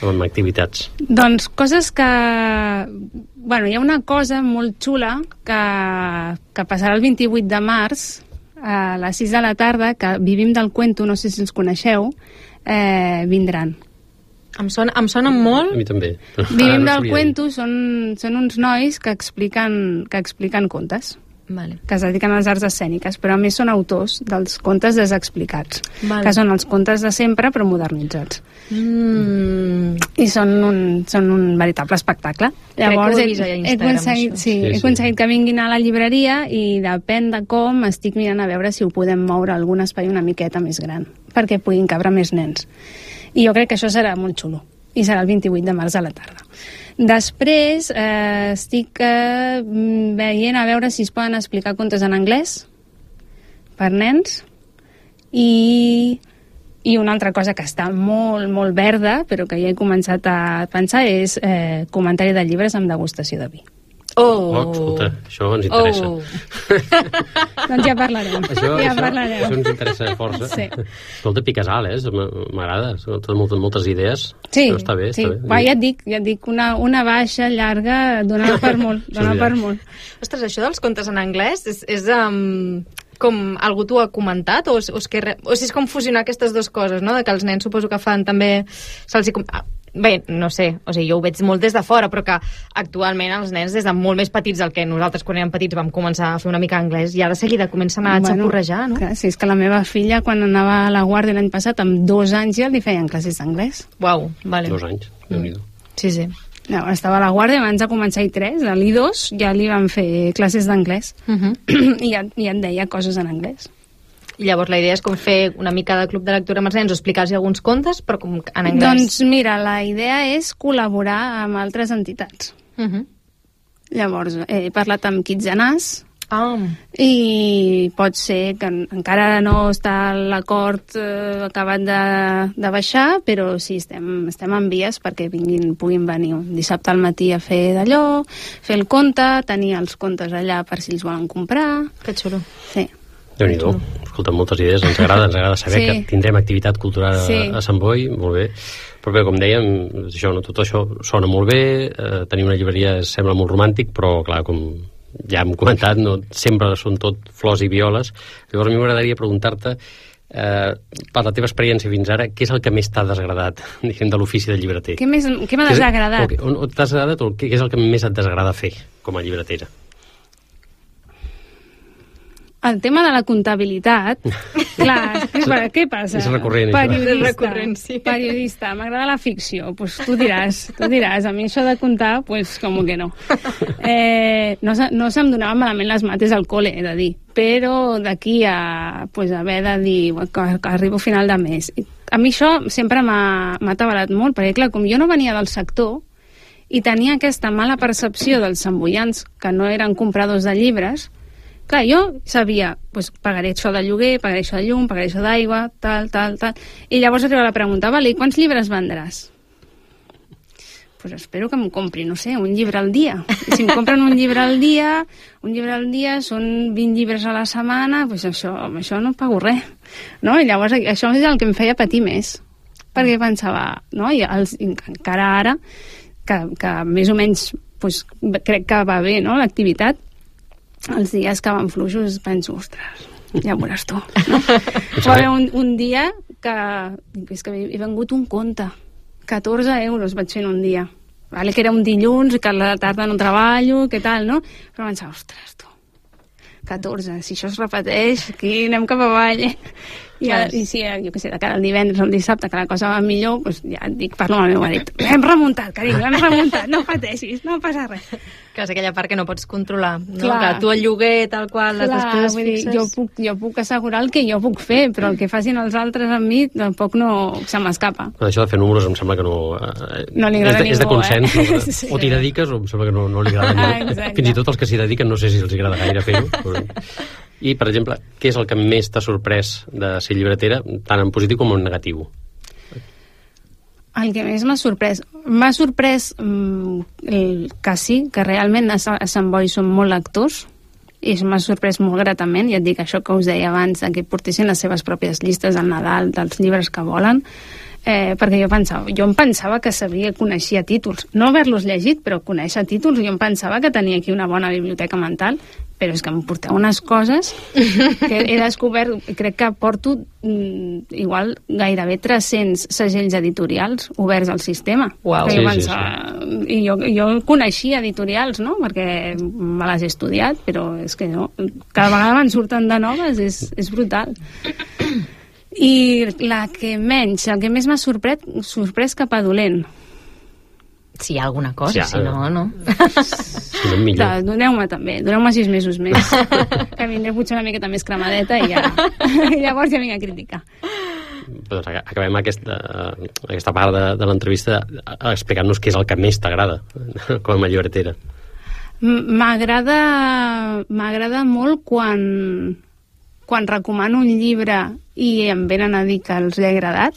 amb activitats? Doncs coses que... Bueno, hi ha una cosa molt xula que, que passarà el vint-i-vuit de març a les sis de la tarda, que Vivim del Cuento, no sé si els coneixeu, eh, vindran. Em sona, em sona molt. A mi també. Vivim del Cuento són, són uns nois que expliquen, que expliquen contes. Vale. Que es dediquen a les arts escèniques, però a més són autors dels contes desexplicats, vale, que són els contes de sempre però modernitzats. Mm. I són un, són un veritable espectacle. Llavors, Crec que ho he vist a Instagram, he aconseguit, sí, sí, he sí. aconseguit que vinguin a la llibreria, i depèn de com estic mirant a veure si ho podem moure a algun espai una miqueta més gran, perquè puguin cabre més nens. I jo crec que això serà molt xulo, i serà el vint-i-vuit de març a la tarda. Després eh, estic eh, veient a veure si es poden explicar contes en anglès per nens, i, i una altra cosa que està molt, molt verda, però que ja he començat a pensar, és eh, comentari de llibres amb degustació de vi. Oh, oh escolta, això ens interessa. Oh. Doncs ja parlarem. Això, ja això, parlarem. això ens interessa força. Sí. Escolta, piques alt, eh? M'agrada. Totes moltes, moltes idees. Sí, això està bé, sí. està bé. Va, ja et dic, ja et dic, una, una baixa llarga dona per molt, dona per molt. Ostres, això dels contes en anglès és, és um, com algú t'ho ha comentat, o, o, és que, o si és com fusionar aquestes dues coses, no? De que els nens suposo que fan també... Se'ls hi... Bé, no sé, o sigui, jo ho veig molt des de fora, però que actualment els nens, des de molt més petits del que nosaltres quan érem petits vam començar a fer una mica anglès, i ara de seguida comencen a bueno, xapurrejar, no? Clar, si és que la meva filla, quan anava a la guàrdia l'any passat, amb dos anys ja li feien classes d'anglès. Uau, vale. Dos anys, Déu-n'hi-do. Sí, sí. No, estava a la guàrdia, abans de començar I tres, a l'I dos, ja li van fer classes d'anglès. Uh -huh. I ja, ja et deia coses en anglès. I llavors la idea és com fer una mica de club de lectura amb els nens o explicar-los alguns contes, però com en anglès. Doncs mira, la idea és col·laborar amb altres entitats. Uh -huh. Llavors, he parlat amb Kitzenàs, ah. i pot ser que encara no està l'acord eh, acabat de, de baixar, però sí, estem, estem en vies perquè vinguin, puguin venir un dissabte al matí a fer d'allò, fer el conte, tenir els contes allà per si els volen comprar. Que xulo. Sí. Déu-n'hi-do. Escolta, moltes idees, ens agrada, ens agrada saber sí. que tindrem activitat cultural a, sí. a Sant Boi, molt bé. Però bé, com dèiem, això, no, tot això sona molt bé, eh, tenir una llibreria sembla molt romàntic, però clar, com ja hem comentat, no sempre són tot flors i violes. Llavors a mi m'agradaria preguntar-te, eh, per la teva experiència fins ara, què és el que més t'ha desagradat, diguem, de l'ofici de llibreter? Què més, què m'ha desagradat? O, o, o t'ha desagradat o què és el que més et desagrada fer com a llibretera? El tema de la comptabilitat, clar, què, què passa? És recurrent, periodista, és recurrent, sí. Periodista, m'agrada la ficció, pues tu diràs, tu diràs, a mi això de comptar, pues com que no. Eh, no, no se'm donaven malament les mates al col·le, he de dir, però d'aquí a pues, haver de dir que, que arribo a final de mes. A mi això sempre m'ha atabalat molt, perquè clar, com jo no venia del sector i tenia aquesta mala percepció dels samboians que no eren compradors de llibres, clar, jo sabia, doncs, pagaré això de lloguer, pagaré això de llum, pagaré això d'aigua, tal, tal, tal. I llavors arriba la pregunta, vale, i quants llibres vendràs? pues espero que em compri, no sé, un llibre al dia. I si em compren un llibre al dia, un llibre al dia són vint llibres a la setmana, pues això, amb això no pago res. No? I llavors això és el que em feia patir més. Perquè pensava, no? I els, encara ara, que, que més o menys pues, crec que va bé, no?, l'activitat, els dies que van fluixos penso, ostres, ja veuràs tu. No? Va haver un, un dia que, és que he vengut un conte, catorze euros vaig fer en un dia. Vale, que era un dilluns, que a la tarda no treballo, què tal, no? Però pensava, ostres, tu, catorze, si això es repeteix, aquí anem cap avall, eh? I, a, i si, jo què sé, de cara al divendres o el dissabte, que la cosa va millor, doncs ja et dic, parlo amb el meu marit. Hem remuntat, carinyo, hem remuntat, no pateixis, no passa res. Que és aquella part que no pots controlar, no? Clar. Que tu el lloguer, tal qual, les Clar, despeses vull dir, fixes... jo puc, jo puc assegurar el que jo puc fer, però el que facin els altres amb mi tampoc no se m'escapa. Això de fer números em sembla que no... Eh, no li agrada és de, és de ningú, consens, eh? no? Sí. O t'hi dediques o em sembla que no, no li agrada Ah, ningú. exacte. Fins i tot els que s'hi dediquen no sé si els agrada gaire fer-ho. Però... I, per exemple, què és el que més t'ha sorprès de ser llibretera, tant en positiu com en negatiu? El que més m'ha sorprès... M'ha sorprès mm, el, que sí, que realment a, a Sant Boi són molt lectors, i m'ha sorprès molt gratament, ja et dic això que us deia abans, que portessin les seves pròpies llistes al Nadal dels llibres que volen, eh, perquè jo pensava, jo em pensava que sabia, coneixia títols, no haver-los llegit, però conèixer títols, jo em pensava que tenia aquí una bona biblioteca mental, però és que em porteu unes coses que he descobert, crec que porto mm, igual gairebé tres-cents segells editorials oberts al sistema. Uau. Sí, Sí, sí, sí. I jo, jo coneixia editorials, no?, perquè me les he estudiat, però és que no, cada vegada me'n surten de noves, és, és brutal. I la que menys, el que més m'ha sorprès, sorprès cap a dolent. Si hi ha alguna cosa, Sí, si no, no. Si no, millor. Da, doneu-me també, doneu-me sis mesos més, que vindré potser una miqueta més cremadeta i ja, i llavors ja vinc a criticar. Doncs acabem aquesta, aquesta part de, de l'entrevista explicant-nos què és el que més t'agrada com a llibretera. M'agrada m'agrada molt quan quan recomano un llibre i em venen a dir que els he agradat.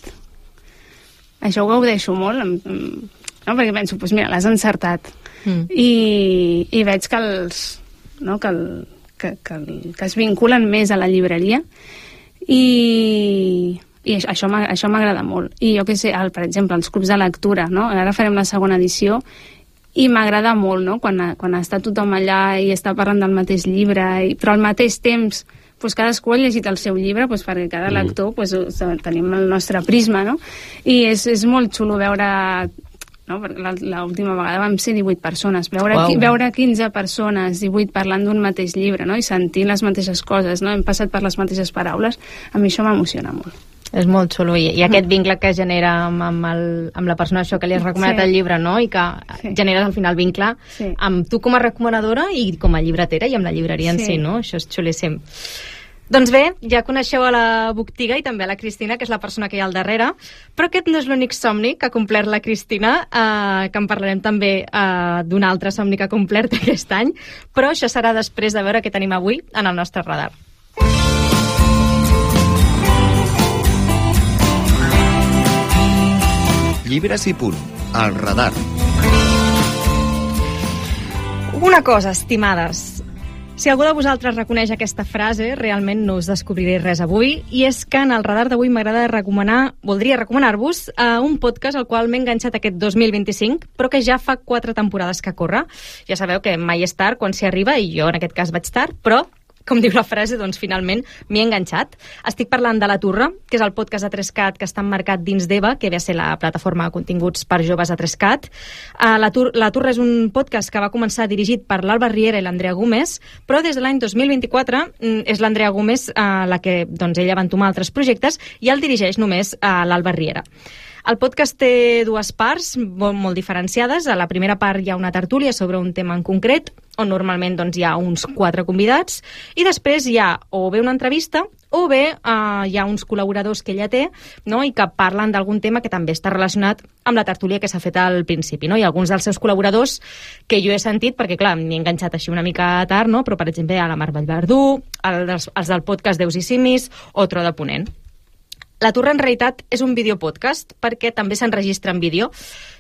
Això ho gaudeixo molt, em, no? Perquè penso, doncs mira, l'has encertat. Mm. I, i veig que els no? que, el, que, que, el, que es vinculen més a la llibreria i, i això, això m'agrada molt. I jo què sé, el, per exemple, els clubs de lectura, no? Ara farem la segona edició i m'agrada molt, no? Quan, quan està tothom allà i està parlant del mateix llibre, i, però al mateix temps pues cadascú ha llegit el seu llibre, pues perquè cada lector pues, tenim el nostre prisma, no? I és, és molt xulo veure, no? L'última vegada vam ser divuit persones, veure, wow. veure quinze persones, divuit parlant d'un mateix llibre, no? I sentint les mateixes coses, no? Hem passat per les mateixes paraules, a mi això m'emociona molt. És molt xulo, i, i aquest vincle que genera amb, amb, el, amb la persona això que li has recomanat sí. el llibre, no? I que sí. generes al final vincle sí. amb tu com a recomanadora i com a llibretera i amb la llibreria en sí, sí no? Això és xulíssim. Doncs bé, ja coneixeu a la Botiga i també a la Cristina, que és la persona que hi ha al darrere, però aquest no és l'únic somni que ha complert la Cristina, eh, que en parlarem també eh, d'un altre somni que ha complert aquest any, però això serà després de veure què tenim avui en el nostre radar. Llibres i punt, al radar. Una cosa, estimades. Si algú de vosaltres reconeix aquesta frase, realment no us descobriré res avui, i és que en el radar d'avui m'agrada recomanar, voldria recomanar-vos uh, un podcast al qual m'he enganxat aquest dos mil vint-i-cinc, però que ja fa quatre temporades que corre. Ja sabeu que mai és tard quan s'hi arriba, i jo en aquest cas vaig tard, però com diu la frase, doncs finalment m'hi he enganxat. Estic parlant de La Turra, que és el podcast de Trescat que està emmarcat dins d'Eva, que ve a ser la plataforma de continguts per joves de Trescat. Uh, la, Tur la Turra és un podcast que va començar dirigit per l'Alba Riera i l'Andrea Gómez, però des de l'any dos mil vint-i-quatre és l'Andrea Gómez uh, la que doncs, ella va entomar altres projectes i el dirigeix només uh, l'Alba Riera. El podcast té dues parts molt, molt diferenciades. A la primera part hi ha una tertúlia sobre un tema en concret, on normalment doncs, hi ha uns quatre convidats, i després hi ha o bé una entrevista o bé eh, hi ha uns col·laboradors que ella té, no? I que parlen d'algun tema que també està relacionat amb la tertúlia que s'ha fet al principi, no? I alguns dels seus col·laboradors que jo he sentit, perquè clar, m'hi he enganxat així una mica tard, no? Però per exemple hi ha la Mar Vallverdú, els, els del podcast Déus i Simis o Tro de Ponent. La Turra en realitat és un videopodcast perquè també s'enregistra en vídeo.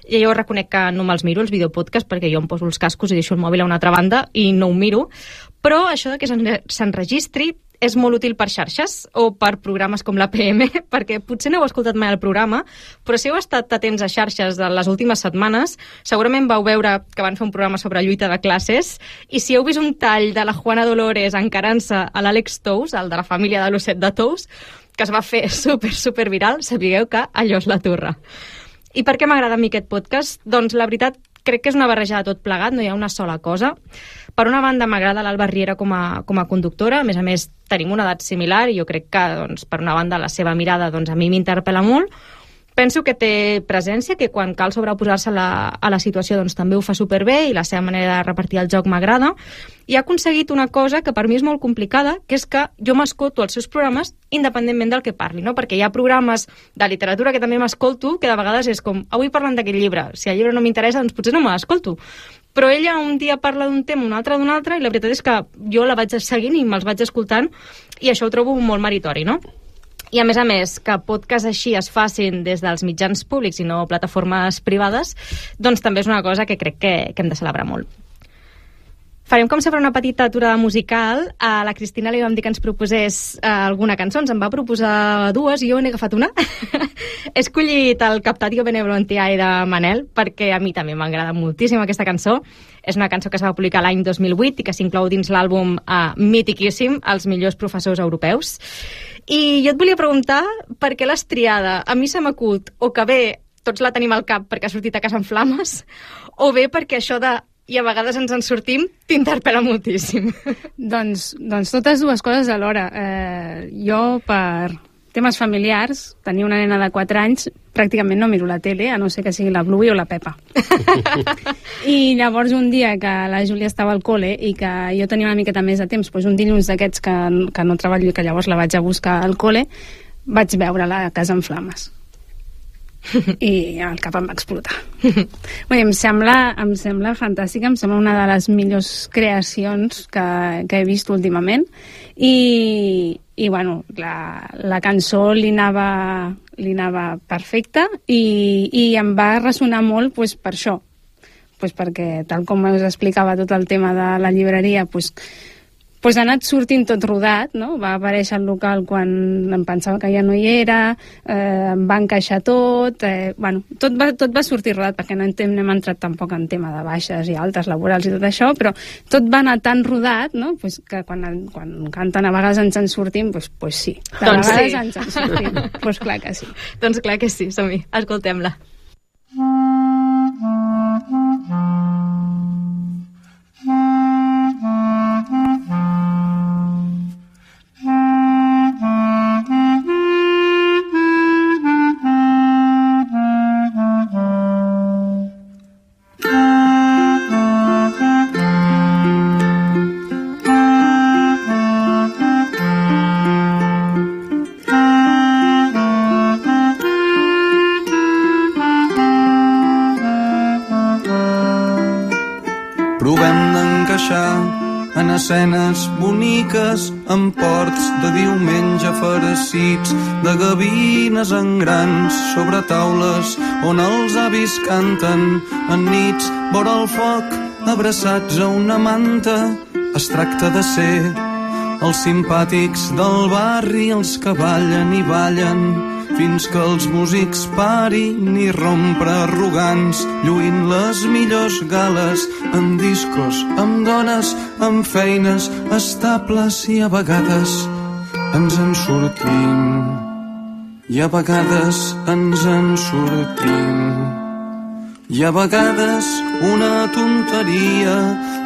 I jo reconec que no me'ls miro, els videopodcasts, perquè jo em poso els cascos i deixo el mòbil a una altra banda i no ho miro. Però això de que s'enregistri és molt útil per xarxes o per programes com l'A P M, perquè potser no heu escoltat mai el programa, però si heu estat atents a xarxes de les últimes setmanes, segurament vau veure que van fer un programa sobre lluita de classes, i si heu vist un tall de la Juana Dolores encarant-se a l'Àlex Tous, el de la família de l'Osset de Tous, que es va fer super, super viral, sapigueu que allò és la Turra. I per què m'agrada a mi aquest podcast? Doncs la veritat, crec que és una barreja de tot plegat, no hi ha una sola cosa. Per una banda, m'agrada l'Alba Riera com a, com a conductora, a més a més tenim una edat similar i jo crec que, doncs, per una banda, la seva mirada doncs, a mi m'interpel·la molt. Penso que té presència, que quan cal sobreposar-se a la, a la situació doncs, també ho fa superbé i la seva manera de repartir el joc m'agrada. I ha aconseguit una cosa que per mi és molt complicada, que és que jo m'escolto els seus programes independentment del que parli, no? Perquè hi ha programes de literatura que també m'escolto que de vegades és com, avui parlant d'aquest llibre, si el llibre no m'interessa, doncs potser no me l'escolto. Però ella un dia parla d'un tema, un altre d'un altre, i la veritat és que jo la vaig seguint i me'ls vaig escoltant, i això ho trobo molt meritori, no? I a més a més, que podcasts així es facin des dels mitjans públics i no plataformes privades, doncs també és una cosa que crec que, que hem de celebrar molt. Farem com sempre una petita aturada musical. A la Cristina li vam dir que ens proposés eh, alguna cançó, ens en va proposar dues i jo n'he agafat una. He escollit el Captatio Benevolentiae de Manel perquè a mi també m'agrada moltíssim aquesta cançó. És una cançó que es va publicar l'any dos mil vuit i que s'inclou dins l'àlbum eh, mitiquíssim, Els millors professors europeus. I jo et volia preguntar per què l'has triada. A mi se m'acut o que bé tots la tenim al cap perquè ha sortit a casa en flames, o bé perquè això de i a vegades ens en sortim, t'interpel·la moltíssim. Doncs, doncs totes dues coses alhora. Eh, jo, per temes familiars, tenia una nena de quatre anys, pràcticament no miro la tele, a no ser que sigui la Bluey o la Pepa. I llavors un dia que la Júlia estava al col·le i que jo tenia una miqueta més de temps, doncs un dilluns d'aquests que, que no treballo i que llavors la vaig a buscar al col·le, vaig veure-la a casa en flames. I el cap em va explotar. Bé, em sembla, em sembla fantàstica, em sembla una de les millors creacions que, que he vist últimament i, i bueno, la, la cançó li anava, li anava perfecta i, i em va ressonar molt pues, per això, pues, perquè tal com us explicava tot el tema de la llibreria, pues, pues ha anat sortint tot rodat, no? Va aparèixer al local quan em pensava que ja no hi era, eh, em va encaixar tot, eh, bueno, tot va, tot va sortir rodat, perquè no, hem, no hem entrat tampoc en tema de baixes i altes laborals i tot això, però tot va anar tan rodat, no? Pues que quan, quan canten a vegades ens en sortim, pues, pues sí, de doncs vegades sí. ens en sortim, pues clar que sí. Doncs clar que sí, som-hi, escoltem-la. En escenes boniques, en ports de diumenge farcits, de gavines en grans sobre taules on els avis canten en nits vora el foc, abraçats a una manta. Es tracta de ser els simpàtics del barri, els que ballen i ballen fins que els músics parin i rompre arrogants, lluint les millors gales en discos, amb dones, amb feines estables, i a vegades ens en sortim, i a vegades ens en sortim, i a vegades una tonteria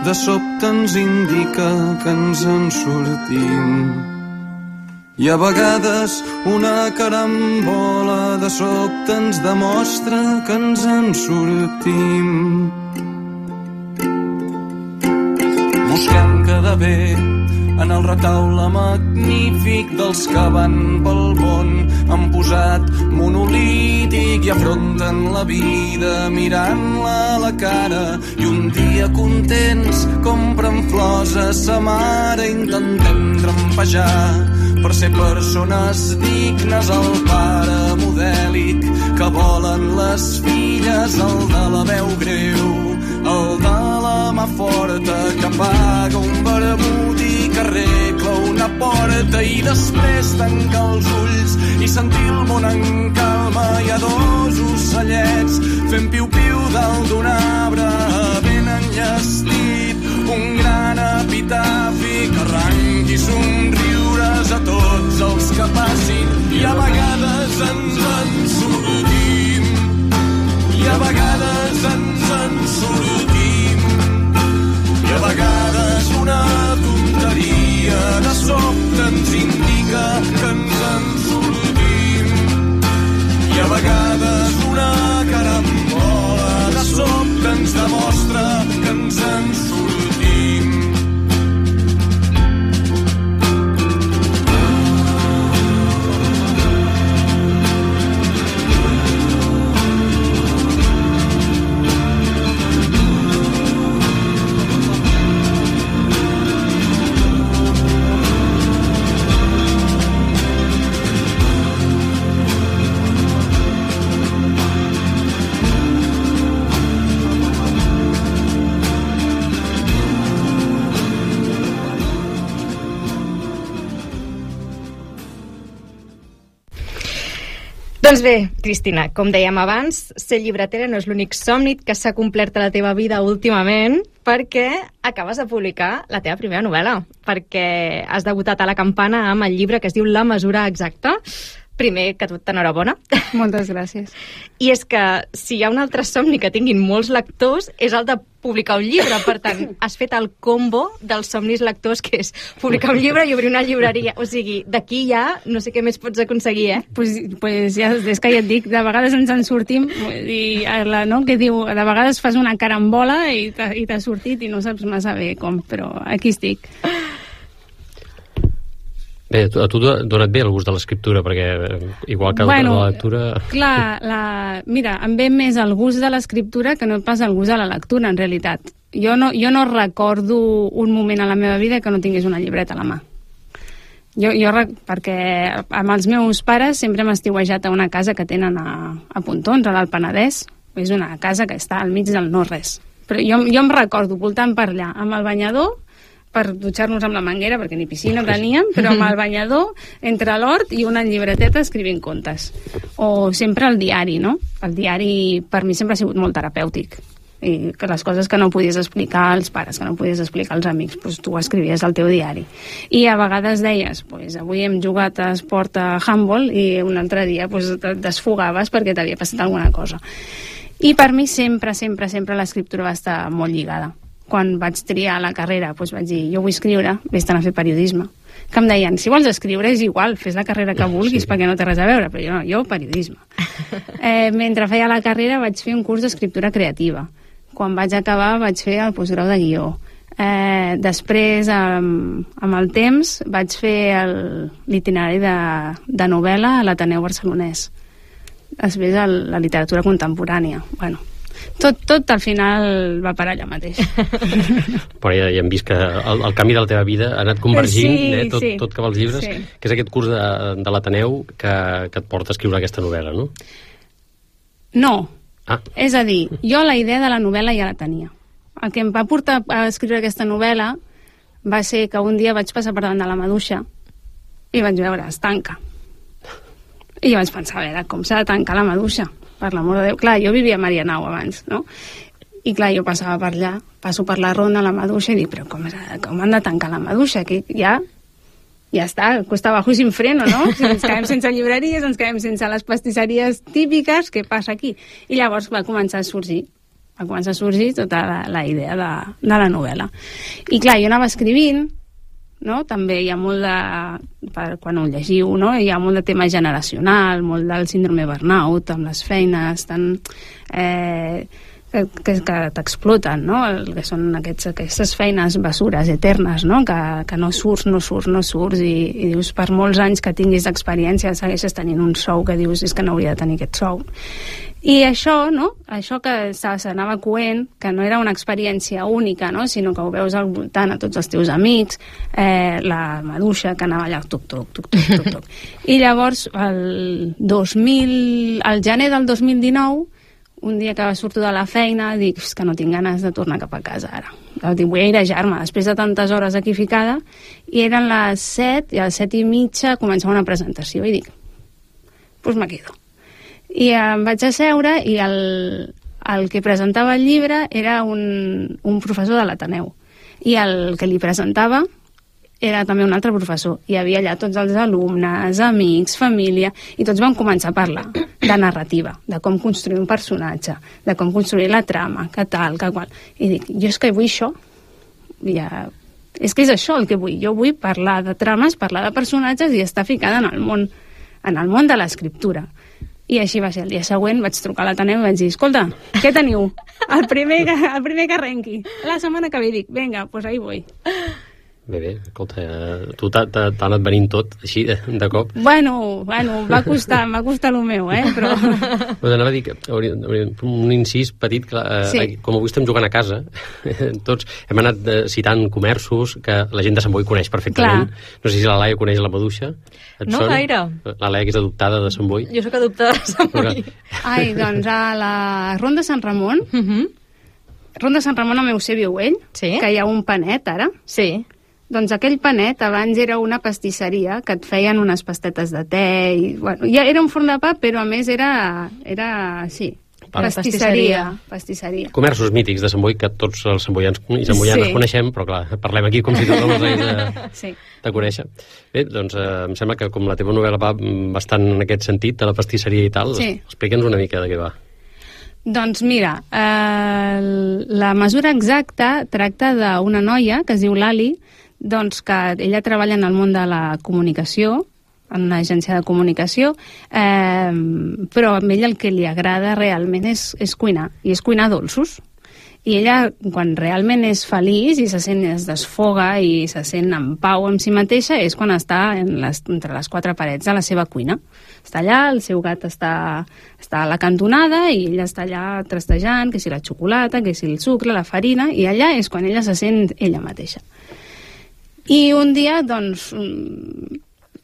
de sobte ens indica que ens en sortim. I a vegades una carambola de sobte ens demostra que ens en sortim. Busquem quedar bé en el retaule magnífic dels que van pel món, han posat monolític i afronten la vida mirant-la a la cara, i un dia contents compren flors a sa mare, intentem trampejar per ser persones dignes, el pare modèlic que volen les filles, el de la veu greu, el de la mà forta que paga un vermut i que arregla una porta i després tancar els ulls i sentir el món en calma. Hi ha dos ocellets fent piu-piu dalt d'un arbre ben enllestit, un gran epitafi que arranqui somriures a tots els que passin, i a vegades ens en sortim, i a vegades ens en sortim, i a vegades una tonteria de sobte ens indica que ens en sortim, i a vegades una carambola de sobte ens demostra que ens en sortim. Doncs bé, Cristina, com dèiem abans, ser llibretera no és l'únic somni que s'ha complert a la teva vida últimament, perquè acabes de publicar la teva primera novel·la, perquè has debutat a la Campana amb el llibre que es diu La mesura exacta. Primer que tot, enhorabona. Moltes gràcies. I és que si hi ha un altre somni que tinguin molts lectors és el de publicar un llibre. Per tant, has fet el combo dels somnis lectors, que és publicar un llibre i obrir una llibreria. O sigui, d'aquí ja no sé què més pots aconseguir, eh? Pues, pues ja, és que ja et dic, de vegades ens en sortim i la, no, que diu, de vegades fas una carambola i t'ha sortit i no saps massa bé com, però aquí estic. Bé, a tu t'ha donat bé el gust de l'escriptura, perquè igual que bueno, la lectura... Clar, la, mira, em ve més el gust de l'escriptura que no pas el gust de la lectura, en realitat. Jo no, jo no recordo un moment a la meva vida que no tingués una llibreta a la mà. Jo, jo perquè amb els meus pares sempre hem estiuejat a una casa que tenen a, a Pontons, a l'Alt Penedès. És una casa que està al mig del no-res. Però jo, jo em recordo voltant per allà, amb el banyador, per dutxar-nos amb la manguera, perquè ni piscina teníem, però amb el banyador, entre l'hort i una llibreteta escrivint contes. O sempre el diari, no? El diari per mi sempre ha sigut molt terapèutic. I que les coses que no podies explicar als pares, que no podies explicar als amics, doncs tu escrivies al teu diari. I a vegades deies, doncs avui hem jugat a esport a handball i un altre dia doncs, et desfogaves perquè t'havia passat alguna cosa. I per mi sempre, sempre, sempre l'escriptura va estar molt lligada. Quan vaig triar la carrera, doncs vaig dir, jo vull escriure, vés-te'n a fer periodisme. Que em deien, si vols escriure és igual, fes la carrera que vulguis, sí, perquè no té res a veure, però jo no, jo periodisme. Eh, mentre feia la carrera vaig fer un curs d'escriptura creativa. Quan vaig acabar vaig fer el postgrau de guió. Eh, després, amb, amb el temps, vaig fer l'itinerari de, de novel·la a l'Ateneu Barcelonès. Després el, la literatura contemporània. Bueno, Tot, tot al final va parar allà mateix. Però ja, ja hem vist que el, el canvi de la teva vida ha anat convergint, sí, eh, tot, sí. tot cap als llibres, sí. Que és aquest curs de, de l'Ateneu que, que et porta a escriure aquesta novel·la, no? No. Ah. És a dir, jo la idea de la novel·la ja la tenia. El que em va portar a escriure aquesta novel·la va ser que un dia vaig passar per davant de la maduixa i vaig veure, es tanca. I jo vaig pensar, a veure, com s'ha de tancar la maduixa? Per l'amor de Déu. Clar, jo vivia a Marianao abans, no? I clar, jo passava per allà, passo per la ronda a la maduixa i dic, però com, com han de tancar la maduixa? Aquí ja, ja està, cuesta abajo y sin freno, no? Si ens quedem sense llibreries, ens quedem sense les pastisseries típiques, què passa aquí? I llavors va començar a sorgir, va començar a sorgir tota la, la idea de, de la novel·la. I clar, jo anava escrivint, no? També hi ha molt de, per, quan ho llegiu, no? Hi ha molt de tema generacional, molt del síndrome burnout amb les feines tan, eh, que, que, que t'exploten, no? El que són aquests, aquestes feines bessures eternes, no? Que, que no surts, no surts, no surts i, i dius, per molts anys que tinguis d'experiència segueixes tenint un sou que dius, és que no hauria de tenir aquest sou. I això, no? Això que s'anava coent, que no era una experiència única, no? Sinó que ho veus al voltant a tots els teus amics, eh, la maduixa que anava allà, tuc, tuc, tuc, tuc, tuc, tuc. I llavors, el dos mil, al gener del dos mil dinou, un dia que surto de la feina, dic que no tinc ganes de tornar cap a casa ara. Dic, vull airejar-me, després de tantes hores aquí ficada, i eren les set, i a les set i mitja començava una presentació, i dic, doncs pues me quedo. I em vaig asseure i el, el que presentava el llibre era un, un professor de l'Ateneu. I el que li presentava era també un altre professor. Hi havia allà tots els alumnes, amics, família, i tots vam començar a parlar de narrativa, de com construir un personatge, de com construir la trama, que tal, que qual. I dic, jo és que vull això. Ja, és que és això el que vull. Jo vull parlar de trames, parlar de personatges i estar ficada en el món, en el món de l'escriptura. I així va ser. El dia següent vaig trucar a l'Ateneu i vaig dir, escolta, què teniu? El primer que, el primer que arrenqui. La setmana que ve dic, vinga, doncs pues ahí vull. Bé, bé, escolta, tu t'ha anat venint tot, així, de, de cop. Bueno, bueno, va costar, va costar el meu, eh, però... Però anava a dir que hauria, hauria, un incís petit, que, eh, sí. Com avui estem jugant a casa, tots hem anat eh, citant comerços que la gent de Sant Boi coneix perfectament. Clar. No sé si la Laia coneix la maduixa. No sona? Gaire. La Laia, que és adoptada de Sant Boi. Jo sóc adoptada de Sant Boi. Ai, doncs a la Ronda Sant Ramon, uh -huh. Ronda Sant Ramon a Eusebio Güell, sí? Que hi ha un panet ara. Sí. Doncs aquell panet abans era una pastisseria que et feien unes pastetes de te i, bueno, ja era un forn de pa, però a més era, era sí, pastisseria, pastisseria. Comerços mítics de Sant Boi que tots els samboians i samboianes sí. coneixem, però clar, parlem aquí com si tothom els hagués de, sí. de conèixer. Bé, doncs eh, em sembla que com la teva novel·la va bastant en aquest sentit, de la pastisseria i tal, sí. explica'ns una mica de què va. Doncs mira, eh, la mesura exacta tracta d'una noia que es diu Lali, doncs que ella treballa en el món de la comunicació, en una agència de comunicació, eh, però a ella el que li agrada realment és, és cuinar, i és cuinar dolços. I ella, quan realment és feliç i se sent, es desfoga i se sent en pau amb si mateixa, és quan està en les, entre les quatre parets de la seva cuina. Està allà, el seu gat està, està a la cantonada i ella està allà trastejant, que si la xocolata, que si el sucre, la farina, i allà és quan ella se sent ella mateixa. I un dia, doncs,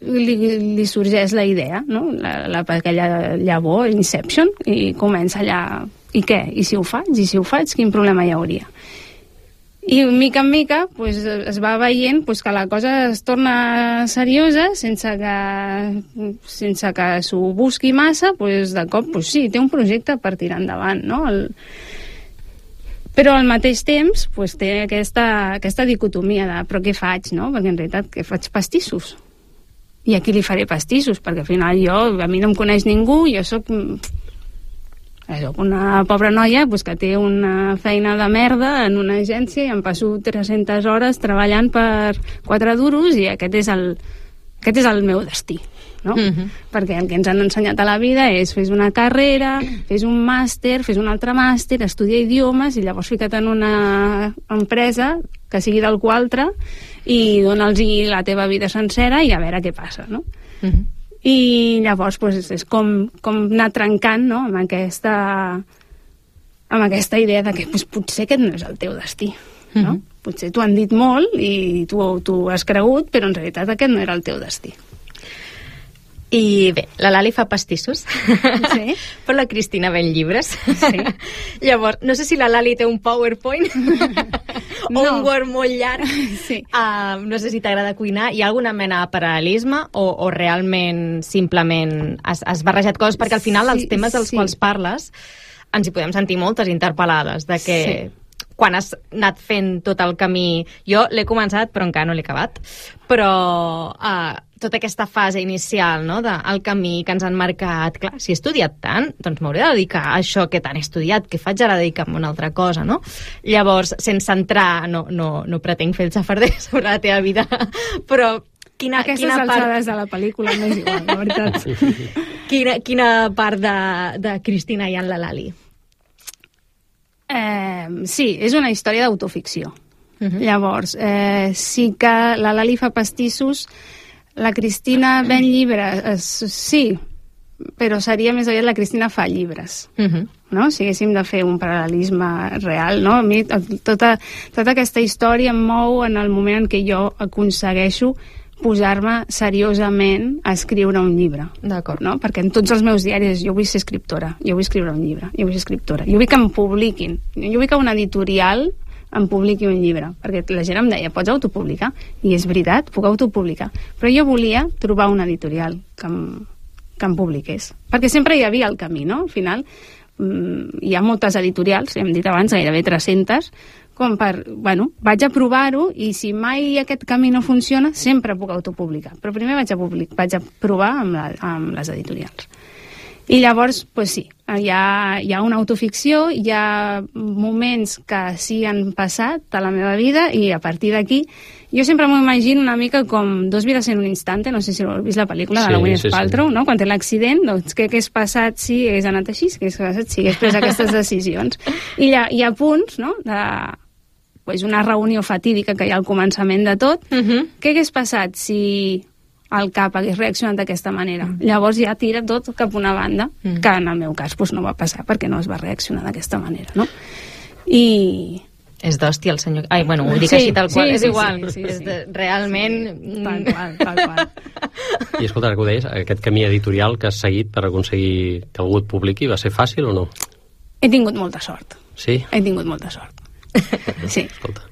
li, li sorgeix la idea, no? La, la, aquella llavor, Inception, i comença allà, i què? I si ho faig? I si ho faig, quin problema hi hauria? I mica en mica pues, es va veient pues, que la cosa es torna seriosa sense que, sense que s'ho busqui massa, pues, de cop pues, sí, té un projecte per tirar endavant, no? El, però al mateix temps pues, té aquesta, aquesta dicotomia de però què faig, no? Perquè en realitat què faig? Pastissos. I a qui li faré pastissos? Perquè al final jo, a mi no em coneix ningú, jo sóc, sóc una pobra noia pues, que té una feina de merda en una agència i em passo tres-centes hores treballant per quatre duros i aquest és el, aquest és el meu destí. No? Uh-huh. Perquè el que ens han ensenyat a la vida és fes una carrera, fes un màster, fes un altre màster, estudia idiomes i llavors fica't en una empresa que sigui d'algú altre i dona'ls la teva vida sencera i a veure què passa, no? Uh-huh. I llavors pues, és com, com anar trencant, no? amb, aquesta, amb aquesta idea de que pues, potser aquest no és el teu destí, no? Uh-huh. Potser t'ho han dit molt i tu, tu has cregut, però en realitat aquest no era el teu destí. I bé, la Lali fa pastissos, sí. Però la Cristina ven llibres. Sí. Llavors, no sé si la Lali té un PowerPoint o no. un Word molt llarg. Sí. Uh, no sé si t'agrada cuinar. Hi ha alguna mena de paral·lelisme o, o realment simplement has, has barrejat coses? Perquè al final els sí, temes dels sí. quals parles ens hi podem sentir moltes interpel·lades de que... Sí. Quan has anat fent tot el camí... Jo l'he començat, però encara no l'he acabat. Però uh, tota aquesta fase inicial, no?, del camí que ens han marcat... Clar, si he estudiat tant, doncs m'hauré de dedicar a això que tant he estudiat, que faig ara dedicar-me a una altra cosa, no? Llavors, sense entrar... No, no, no pretenc fer el xafarder sobre la teva vida, però... Quina, Aquestes quina alçades part... de la pel·lícula m'és igual, la veritat. Quina, quina part de, de Cristina hi ha en la Lali? Eh, sí, és una història d'autoficció. Uh-huh. Llavors, eh, sí que la Lali fa pastissos, la Cristina ven llibres, eh, sí, però seria més aviat la Cristina fa llibres. Uh-huh. No? Si haguéssim de fer un paral·lelisme real, no? A mi tota, tota aquesta història em mou en el moment en què jo aconsegueixo posar-me seriosament a escriure un llibre. D'acord. No? Perquè en tots els meus diaris jo vull ser escriptora, jo vull escriure un llibre, jo vull ser escriptora, jo vull que em publiquin, jo vull que una editorial em publiqui un llibre, perquè la gent em deia, pots autopublicar? I és veritat, puc autopublicar. Però jo volia trobar una editorial que em, que em publiqués. Perquè sempre hi havia el camí, no? Al final, mmm, hi ha moltes editorials, hem dit abans, gairebé tres-centes, com per, bueno, vaig a provar-ho i si mai aquest camí no funciona, sempre puc autopublicar. Però primer vaig a, public, vaig a provar amb, la, amb les editorials. I llavors, pues sí, hi ha, hi ha una autoficció, hi ha moments que sí han passat a la meva vida i a partir d'aquí jo sempre m'ho imagino una mica com Dos vides en un instante, no sé si heu vist la pel·lícula sí, de la Gwyneth sí, Paltrow, sí. No? Quan té l'accident, doncs què hagués passat si hagués anat així, què hagués passat si hagués pres aquestes decisions. I hi ha, hi ha punts, no?, de pues, una reunió fatídica que hi ha al començament de tot. Uh-huh. Què hagués passat si el cap hagués reaccionat d'aquesta manera? Uh-huh. Llavors ja tira tot cap a una banda, uh-huh. que en el meu cas pues, no va passar perquè no es va reaccionar d'aquesta manera, no? I... És d'hòstia el senyor... Ai, bueno, ho dic sí, així tal qual, sí, és sí, igual. Sí, sí, sí, és de, realment... Sí, tal qual, tal qual. I escolta, ara que ho deies, aquest camí editorial que has seguit per aconseguir que algú et publiqui, va ser fàcil o no? He tingut molta sort. Sí? He tingut molta sort. Sí. Escolta,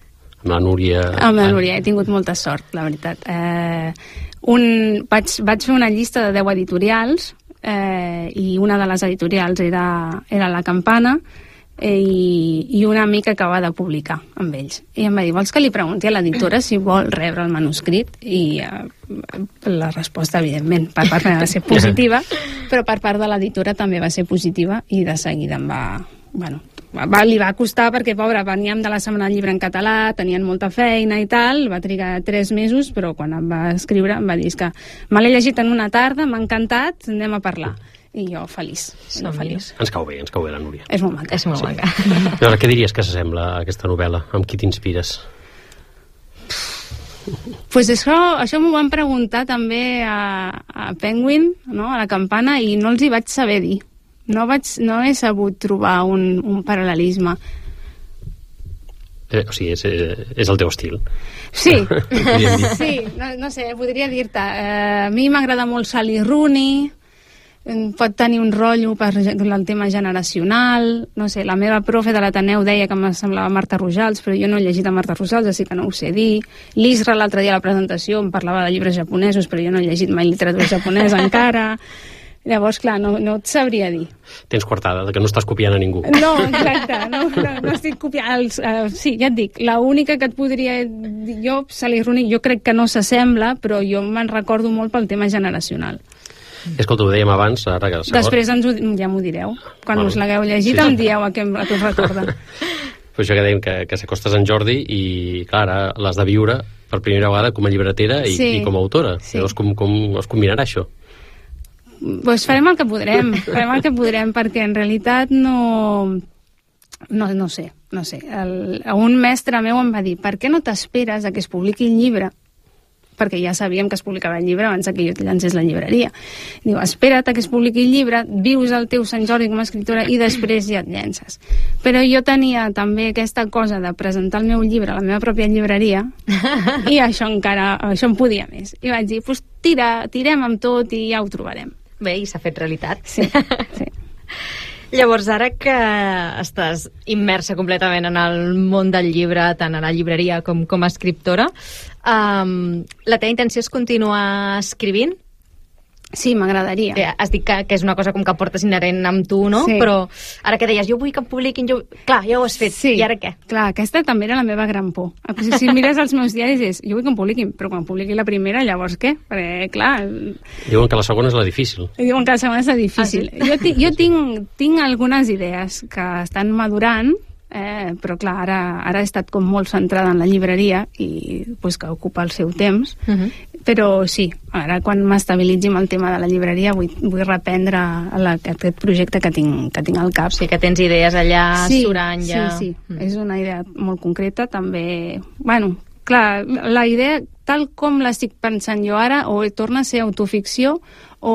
amb la Núria... Amb la Núria he tingut molta sort, la veritat. Eh, un, vaig, vaig fer una llista de deu editorials eh, i una de les editorials era, era La Campana eh, i, i una amica acaba de publicar amb ells. I em va dir, vols que li pregunti a l'editora si vol rebre el manuscrit? I eh, la resposta, evidentment, per part meva va ser positiva, però per part de l'editora també va ser positiva i de seguida em va... Bueno, va, li va costar perquè, pobra, veníem de la Setmana del Llibre en català, tenien molta feina i tal, va trigar tres mesos, però quan em va escriure em va dir que me l'he llegit en una tarda, m'ha encantat, anem a parlar. I jo feliç, no feliç. Ens cau bé, ens cau bé la Núria. És molt maca. És molt sí. maca. Llavors, què diries que s'assembla a aquesta novel·la? Amb qui t'inspires? Pues això, això m'ho van preguntar també a, a Penguin, no? A La Campana, i no els hi vaig saber dir. No, vaig, no he sabut trobar un, un paral·lelisme. Eh, o sigui, és, és el teu estil. Sí, sí, no, no sé, podria dir-te. Eh, a mi m'agrada molt Sally Rooney, pot tenir un rotllo per el tema generacional, no sé, la meva profe de l'Ateneu deia que em semblava Marta Rojals, però jo no he llegit a Marta Rojals, així que no ho sé dir. L'Isra l'altre dia a la presentació em parlava de llibres japonesos, però jo no he llegit mai literatura japonesa encara. Llavors, clar, no, no et sabria dir. Tens coartada, de que no estàs copiant a ningú. No, exacte, no, no, no estic copiant. Els, uh, sí, ja et dic, l'única que et podria dir jo, Sally Rooney, jo crec que no s'assembla, però jo me'n recordo molt pel tema generacional. Escolta, ho dèiem abans, ara que... Després ens ho, ja m'ho direu. Quan bueno, us l'hagueu llegit, sí, em dieu a què, a què us recorda. Pues això que dèiem, que, que s'acostes en Jordi i, clar, ara l'has de viure per primera vegada com a llibretera i, sí, i com a autora. Sí. Llavors, com, com es combinarà això? Pues farem el que podrem, farem el que podrem, perquè en realitat no... No, no sé, no sé. El, un mestre meu em va dir, per què no t'esperes a que es publiqui el llibre? Perquè ja sabíem que es publicava el llibre abans que jo et llancés la llibreria. Diu, espera't a que es publiqui el llibre, vius el teu Sant Jordi com a escriptora i després ja et llences. Però jo tenia també aquesta cosa de presentar el meu llibre a la meva pròpia llibreria i això encara, això em podia més. I vaig dir, pues tira, tirem amb tot i ja ho trobarem. Bé, i s'ha fet realitat. Sí, sí. Llavors, ara que estàs immersa completament en el món del llibre, tant a la llibreria com com a escriptora, um, la teva intenció és continuar escrivint? Sí, m'agradaria. Eh, has dit que, que és una cosa com que portes inherent amb tu, no? Sí. Però ara que deies, jo vull que em publiquin, jo... Clar, ja ho has fet, sí. I ara què? Clar, aquesta també era la meva gran por. Si, si mires els meus diaris és, jo vull que em publiquin, però quan publiqui la primera, llavors què? Perquè, clar... Diuen que la segona és la difícil. Diuen que la segona és la difícil. Ah, sí? Jo, jo tinc, tinc algunes idees que estan madurant, eh, però clar, ara, ara he estat com molt centrada en la llibreria i pues, que ocupa el seu temps, uh-huh. Però sí, ara quan m'estabilitzi amb el tema de la llibreria vull, vull reprendre la, aquest projecte que tinc, que tinc al cap. Sí, que tens idees allà sí, surant ja. Sí, sí, mm. És una idea molt concreta, també... Bueno, clar, la idea, tal com l'estic pensant jo ara, o torna a ser autoficció o,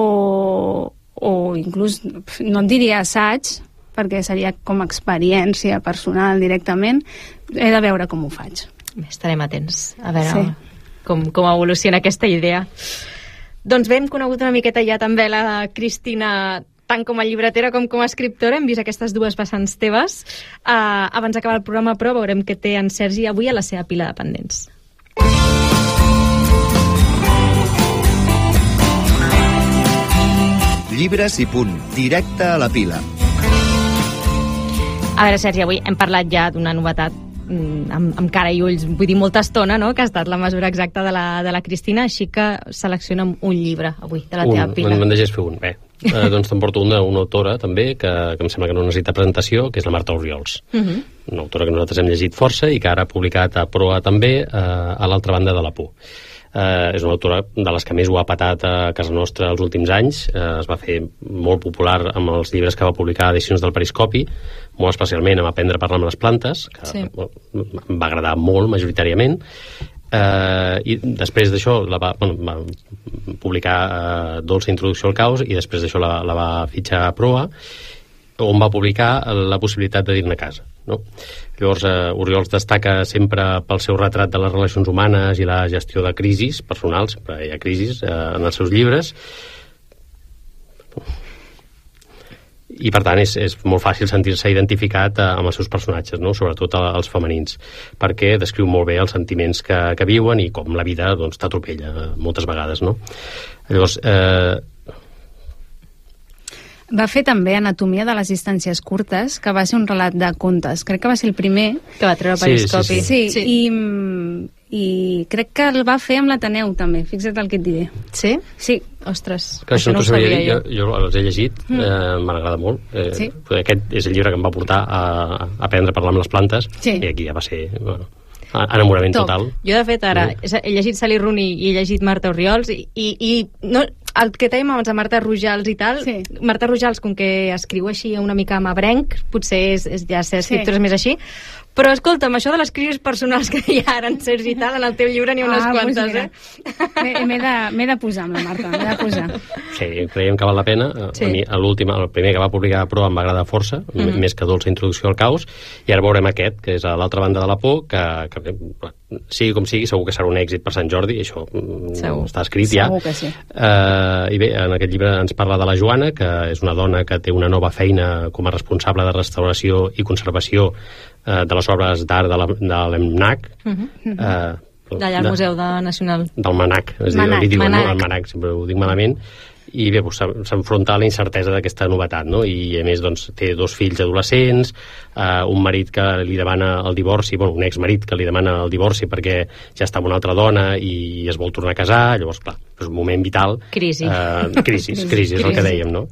o inclús, no et diria assaig, perquè seria com experiència personal directament, he de veure com ho faig. Estarem atents a veure Sí. com, com evoluciona aquesta idea. Doncs bé, hem conegut una miqueta ja també la Cristina, tant com a llibretera com com a escriptora. Hem vist aquestes dues vessants teves. Uh, abans d'acabar el programa, però, veurem què té en Sergi avui a la seva pila de pendents. Llibres i punt, directe a la pila. A veure, Sergi, avui hem parlat ja d'una novetat mm, amb, amb cara i ulls, vull dir molta estona, no?, que ha estat la mesura exacta de la, de la Cristina, així que selecciona'm un llibre avui de la teva un, pila. Me'n deixes fer un, bé. Eh, doncs t'emporto una, una autora també que, que em sembla que no necessita presentació, que és la Marta Orriols. Uh -huh. Una autora que nosaltres hem llegit força i que ara ha publicat a proa també eh, a l'altra banda de la por. Eh, és una autora de les que més ho ha patat a casa nostra els últims anys. Eh, es va fer molt popular amb els llibres que va publicar a Edicions del Periscopi, molt especialment amb Aprendre a parlar amb les plantes, que Sí. em va agradar molt majoritàriament. Uh, i després d'això la va, bueno, va publicar uh, Dolça Introducció al caos i després d'això la, la va fitxar a proa, on va publicar La possibilitat de dir-ne a casa, no? Llavors uh, Orriols destaca sempre pel seu retrat de les relacions humanes i la gestió de crisis personals, sempre hi ha crisis uh, en els seus llibres, i per tant és, és molt fàcil sentir-se identificat eh, amb els seus personatges, no? Sobretot els femenins, perquè descriu molt bé els sentiments que, que viuen i com la vida doncs, t'atropella eh, moltes vegades, no? Llavors eh... Va fer també Anatomia de les distàncies curtes, que va ser un relat de contes. Crec que va ser el primer. Que va treure Sí, Periscopi. sí, Sí, sí. I, i crec que el va fer amb l'Ateneu també, fixa't el que et diré. Sí? Sí. Ostres, que això no ho t'ho sabia sabia dir, jo. jo, jo els he llegit, eh, m'agrada molt. Eh, Sí. Aquest és el llibre que em va portar a, a aprendre a parlar amb les plantes, Sí. i aquí ja va ser bueno, enamorament Top. total. Jo, de fet, ara he llegit Sally Rooney i he llegit Marta Orriols i, i, i no, el que dèiem abans de Marta Rojals i tal, Sí. Marta Rojals, com que escriu així una mica amb abrenc, potser és, és ja ser escriptores Sí. més així, però escolta'm, això de les crisis personals que hi ha ara en Sergi i tal, en el teu llibre n'hi ha unes Ah, doncs quantes, mira. eh? M'he m'he de, m'he de posar amb la Marta, m'he de posar. Sí, creiem que val la pena. Sí. A mi, l'últim, el primer que va publicar a Proa em va agradar força, mm Mhm. -hmm. més que Dolça Introducció al caos, i ara veurem aquest, que és a l'altra banda de la por, que, que sigui com sigui, segur que serà un èxit per Sant Jordi, això mm, Segur. està escrit ja. Segur que sí. Uh, I bé, en aquest llibre ens parla de la Joana, que és una dona que té una nova feina com a responsable de restauració i conservació uh, de les obres d'art de la- de l'EMNAC, Uh -huh. uh, D'allà al Museu de Nacional. del MANAC, és dir, Manac, li diuen, Manac. no? El MANAC, sempre ho dic malament, i bé, doncs, s'en- s'enfronta a la incertesa d'aquesta novetat, no? I a més doncs, té dos fills adolescents, eh, un marit que li demana el divorci, bueno, un exmarit que li demana el divorci perquè ja està amb una altra dona i es vol tornar a casar, llavors, clar, és un moment vital. Crisi. Eh, crisi, crisi, és el que dèiem, no?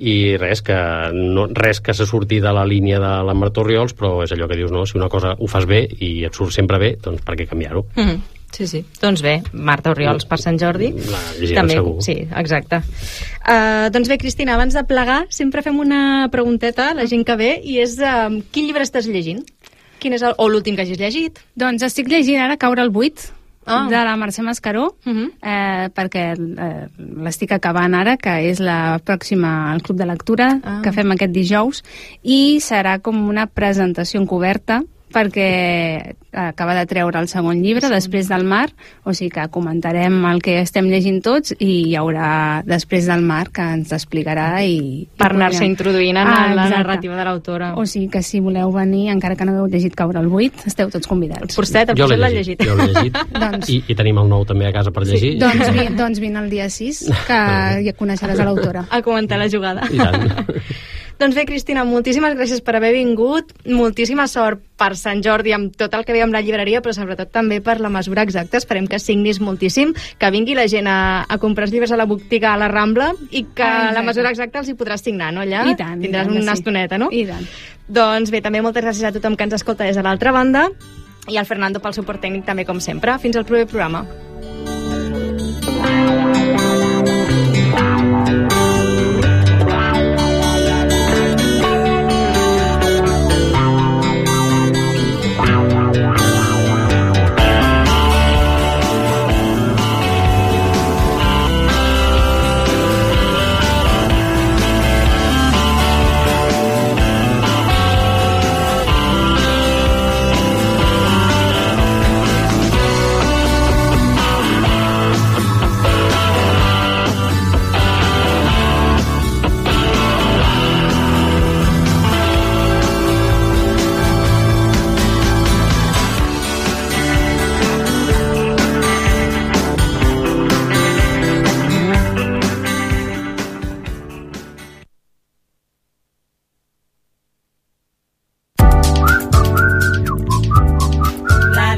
I res que, no, res que se surti de la línia de la Marta Orriols, però és allò que dius, no? Si una cosa ho fas bé i et surt sempre bé, doncs per què canviar-ho? Uh -huh. Sí, sí. Doncs bé, Marta Orriols per Sant Jordi. La llegirem segur. Sí, exacte. Uh, doncs bé, Cristina, abans de plegar, sempre fem una pregunteta a la gent que ve, i és uh, quin llibre estàs llegint? Quin és el, o l'últim que hagis llegit? Doncs estic llegint ara Caure al buit, Ah. de la Mercè Mascaró, Uh -huh. eh, perquè eh, l'estic acabant ara, que és la pròxima al Club de Lectura, Ah. que fem aquest dijous, i serà com una presentació encoberta, perquè acaba de treure el segon llibre, sí. Després del mar, o sigui que comentarem el que estem llegint tots i hi haurà Després del mar, que ens explicarà i... Per i anar-se podrem- introduint en Ah, la exacte. narrativa de l'autora. O sigui que si voleu venir, encara que no hagueu llegit Caure al buit, esteu tots convidats. Porcet, el Jo Porcet l'he l'ha llegit, llegit. jo l'he llegit. Doncs- I, i tenim el nou també a casa per llegir. Sí, doncs, vi, doncs vine el dia sis, que ja coneixeràs a l'autora. A comentar la jugada. I tant. Doncs bé, Cristina, moltíssimes gràcies per haver vingut, moltíssima sort per Sant Jordi amb tot el que ve amb la llibreria, però sobretot també per la mesura exacta. Esperem que signis moltíssim, que vingui la gent a, a comprar els llibres a la botiga a la Rambla i que Ah, la mesura exacta els hi podràs signar, no, allà? I tant, i Tindràs tant que una sí. estoneta, no? I tant. Doncs bé, també moltes gràcies a tothom que ens escolta des de l'altra banda i al Fernando pel suport tècnic també, com sempre. Fins al proper programa.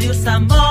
Ràdio Sant Boi.